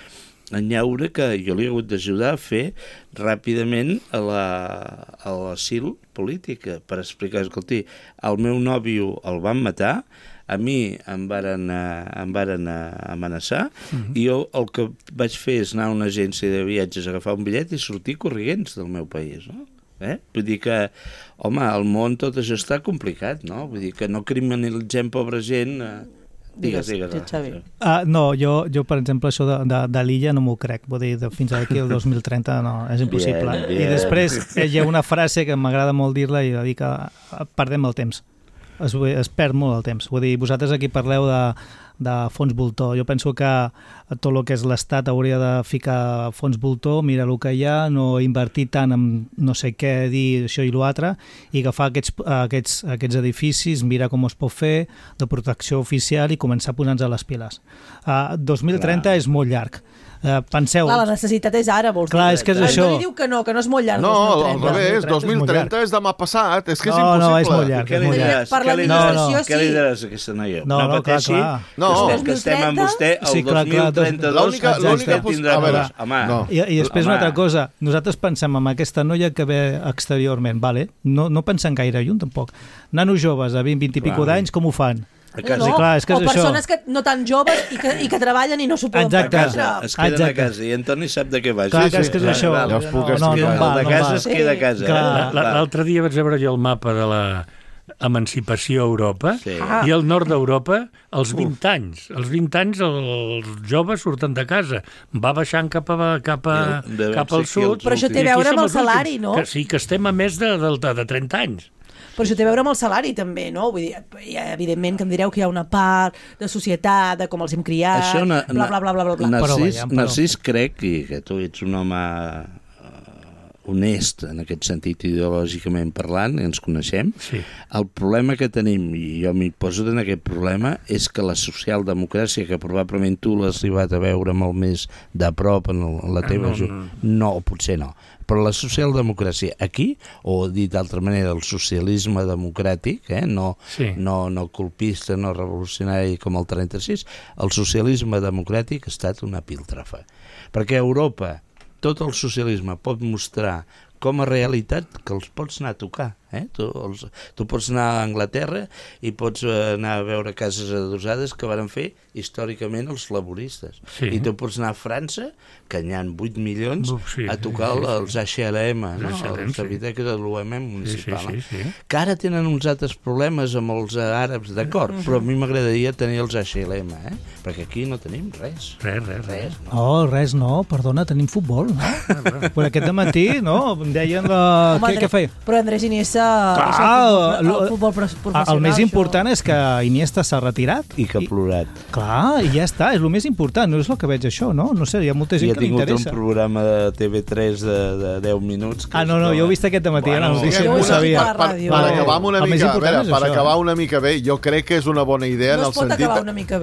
enllaure que jo li he hagut d'ajudar a fer ràpidament a l'asil política per explicar, escolti, el meu nòvio el van matar, a mi em varen amenaçar i jo el que vaig fer és anar a una agència de viatges, agafar un bitllet i sortir corrients del meu país, no? Vull dir que, home, al món tot això està complicat, no? Vull dir que no criminalitzem pobra gent... Digues. No, jo, per exemple, això de l'illa no m'ho crec. Vull dir, fins aquí el 2030 no, és impossible. I després hi ha una frase que m'agrada molt dir-la i de dir que perdem el temps. Es perd molt el temps. Vull dir, vosaltres aquí parleu de fons voltor. Jo penso que tot el que és l'Estat hauria de ficar fons voltor, mira el que hi ha, no invertir tant en no sé què dir això i l'altre, i agafar aquests edificis, mirar com es pot fer, de protecció oficial i començar a posar-nos a les piles. 2030 és molt llarg. Penseu... Clar, la necessitat és ara, vols dir. Clar, és que és això. No li diu que no és molt llarg. No, al revés, 2030 és demà passat, és que és impossible. No, és molt llarg. Què li diràs a aquesta noia? No, pateixi, clar. Que estem amb vostè el 2032 tindrà més. I després una altra cosa, nosaltres pensem en aquesta noia que ve exteriorment, vale? No pensem gaire lluny tampoc. Nanos joves de 20 i pico d'anys, com ho fan? O persones que no tan joves i que treballen i no s'ho poden permetre. Es queden a casa i Antoni sap de què va. Clar, que és això. Ja us puc explicar. De casa es queda a casa. L'altre dia vaig veure jo el mapa de l'emancipació a Europa i al nord d'Europa als 20 anys. Als 20 anys els joves surten de casa. Va baixant cap al sud. Però això té a veure amb el salari, no? Sí, que estem a més de 30 anys. Però això té a veure amb el salari, també, no? Vull dir, evidentment que em direu que hi ha una part de societat, de com els hem criat, bla. Narcís crec que tu ets un home honest en aquest sentit ideològicament parlant, ens coneixem. Sí. El problema que tenim, i jo m'hi poso en aquest problema, és que la socialdemocràcia, que probablement tu l'has arribat a veure molt més de prop en la teva... No, potser no. Però la socialdemocràcia aquí, o dit d'altra manera, el socialisme democràtic, no colpista, no revolucionari com el 36, el socialisme democràtic ha estat una piltrafa. Perquè a Europa tot el socialisme pot mostrar com a realitat que els pots anar a tocar. Tu pots anar a Anglaterra i pots anar a veure cases adossades que van fer històricament els laboristes. Sí. I tu pots anar a França, que n'hi ha 8 milions, a tocar els HLM, els habitatges de l'UM municipal. Que ara tenen uns altres problemes amb els àrabs, d'acord, però a mi m'agradaria tenir els HLM, perquè aquí no tenim res. Res. Res no, perdona, tenim futbol, no? Però aquest dematí, no? Em deien què feia? Però Andrés Iniesta el futbol professional. El més important és que Iniesta s'ha retirat. I que ha plorat. Clar, i ja està, és el més important, no és el que veig això, no? No sé, hi ha molta gent que li interessa. I ha tingut un programa de TV3 de 10 minuts. No, jo he vist aquest dematí, no ho sabia. Per acabar una mica bé, jo crec que és una bona idea en el sentit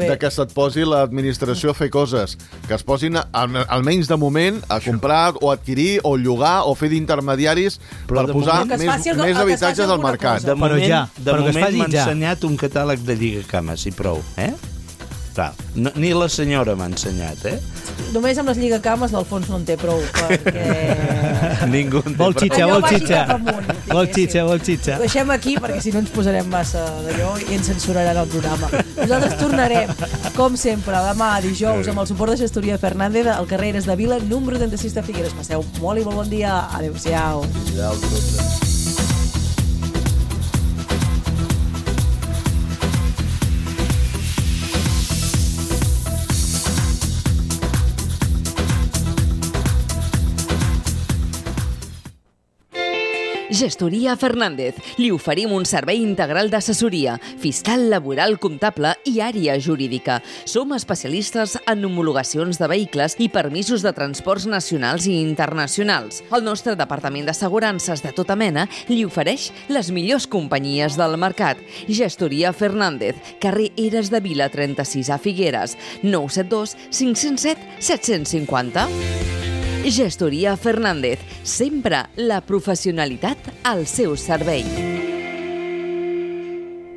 de que se't posi l'administració a fer coses, que es posin almenys de moment a comprar o adquirir o llogar o fer d'intermediaris per posar més habitatges al mercat. De moment m'ha ensenyat un catàleg de lligacames i prou, Clar, ni la senyora m'ha ensenyat, Només amb les lligacames del fons no en té prou, perquè... Ningú en té prou. Vol xitxa. Ho deixem aquí, perquè si no ens posarem massa d'allò i ens censuraran el programa. Nosaltres tornarem, com sempre, demà, dijous, amb el suport de Gestoria Fernández, al carrer Eres de Vila, número 36 de Figueres. Passeu molt i molt bon dia. Adéu-siau. Gestoria Fernández. Li oferim un servei integral d'assessoria, fiscal, laboral, comptable i àrea jurídica. Som especialistes en homologacions de vehicles i permisos de transports nacionals i internacionals. El nostre departament d'assegurances de tota mena li ofereix les millors companyies del mercat. Gestoria Fernández, carrer Eres de Vila 36 a Figueres, 972 507 750. Gestoria Fernández, sempre la professionalitat al seu servei.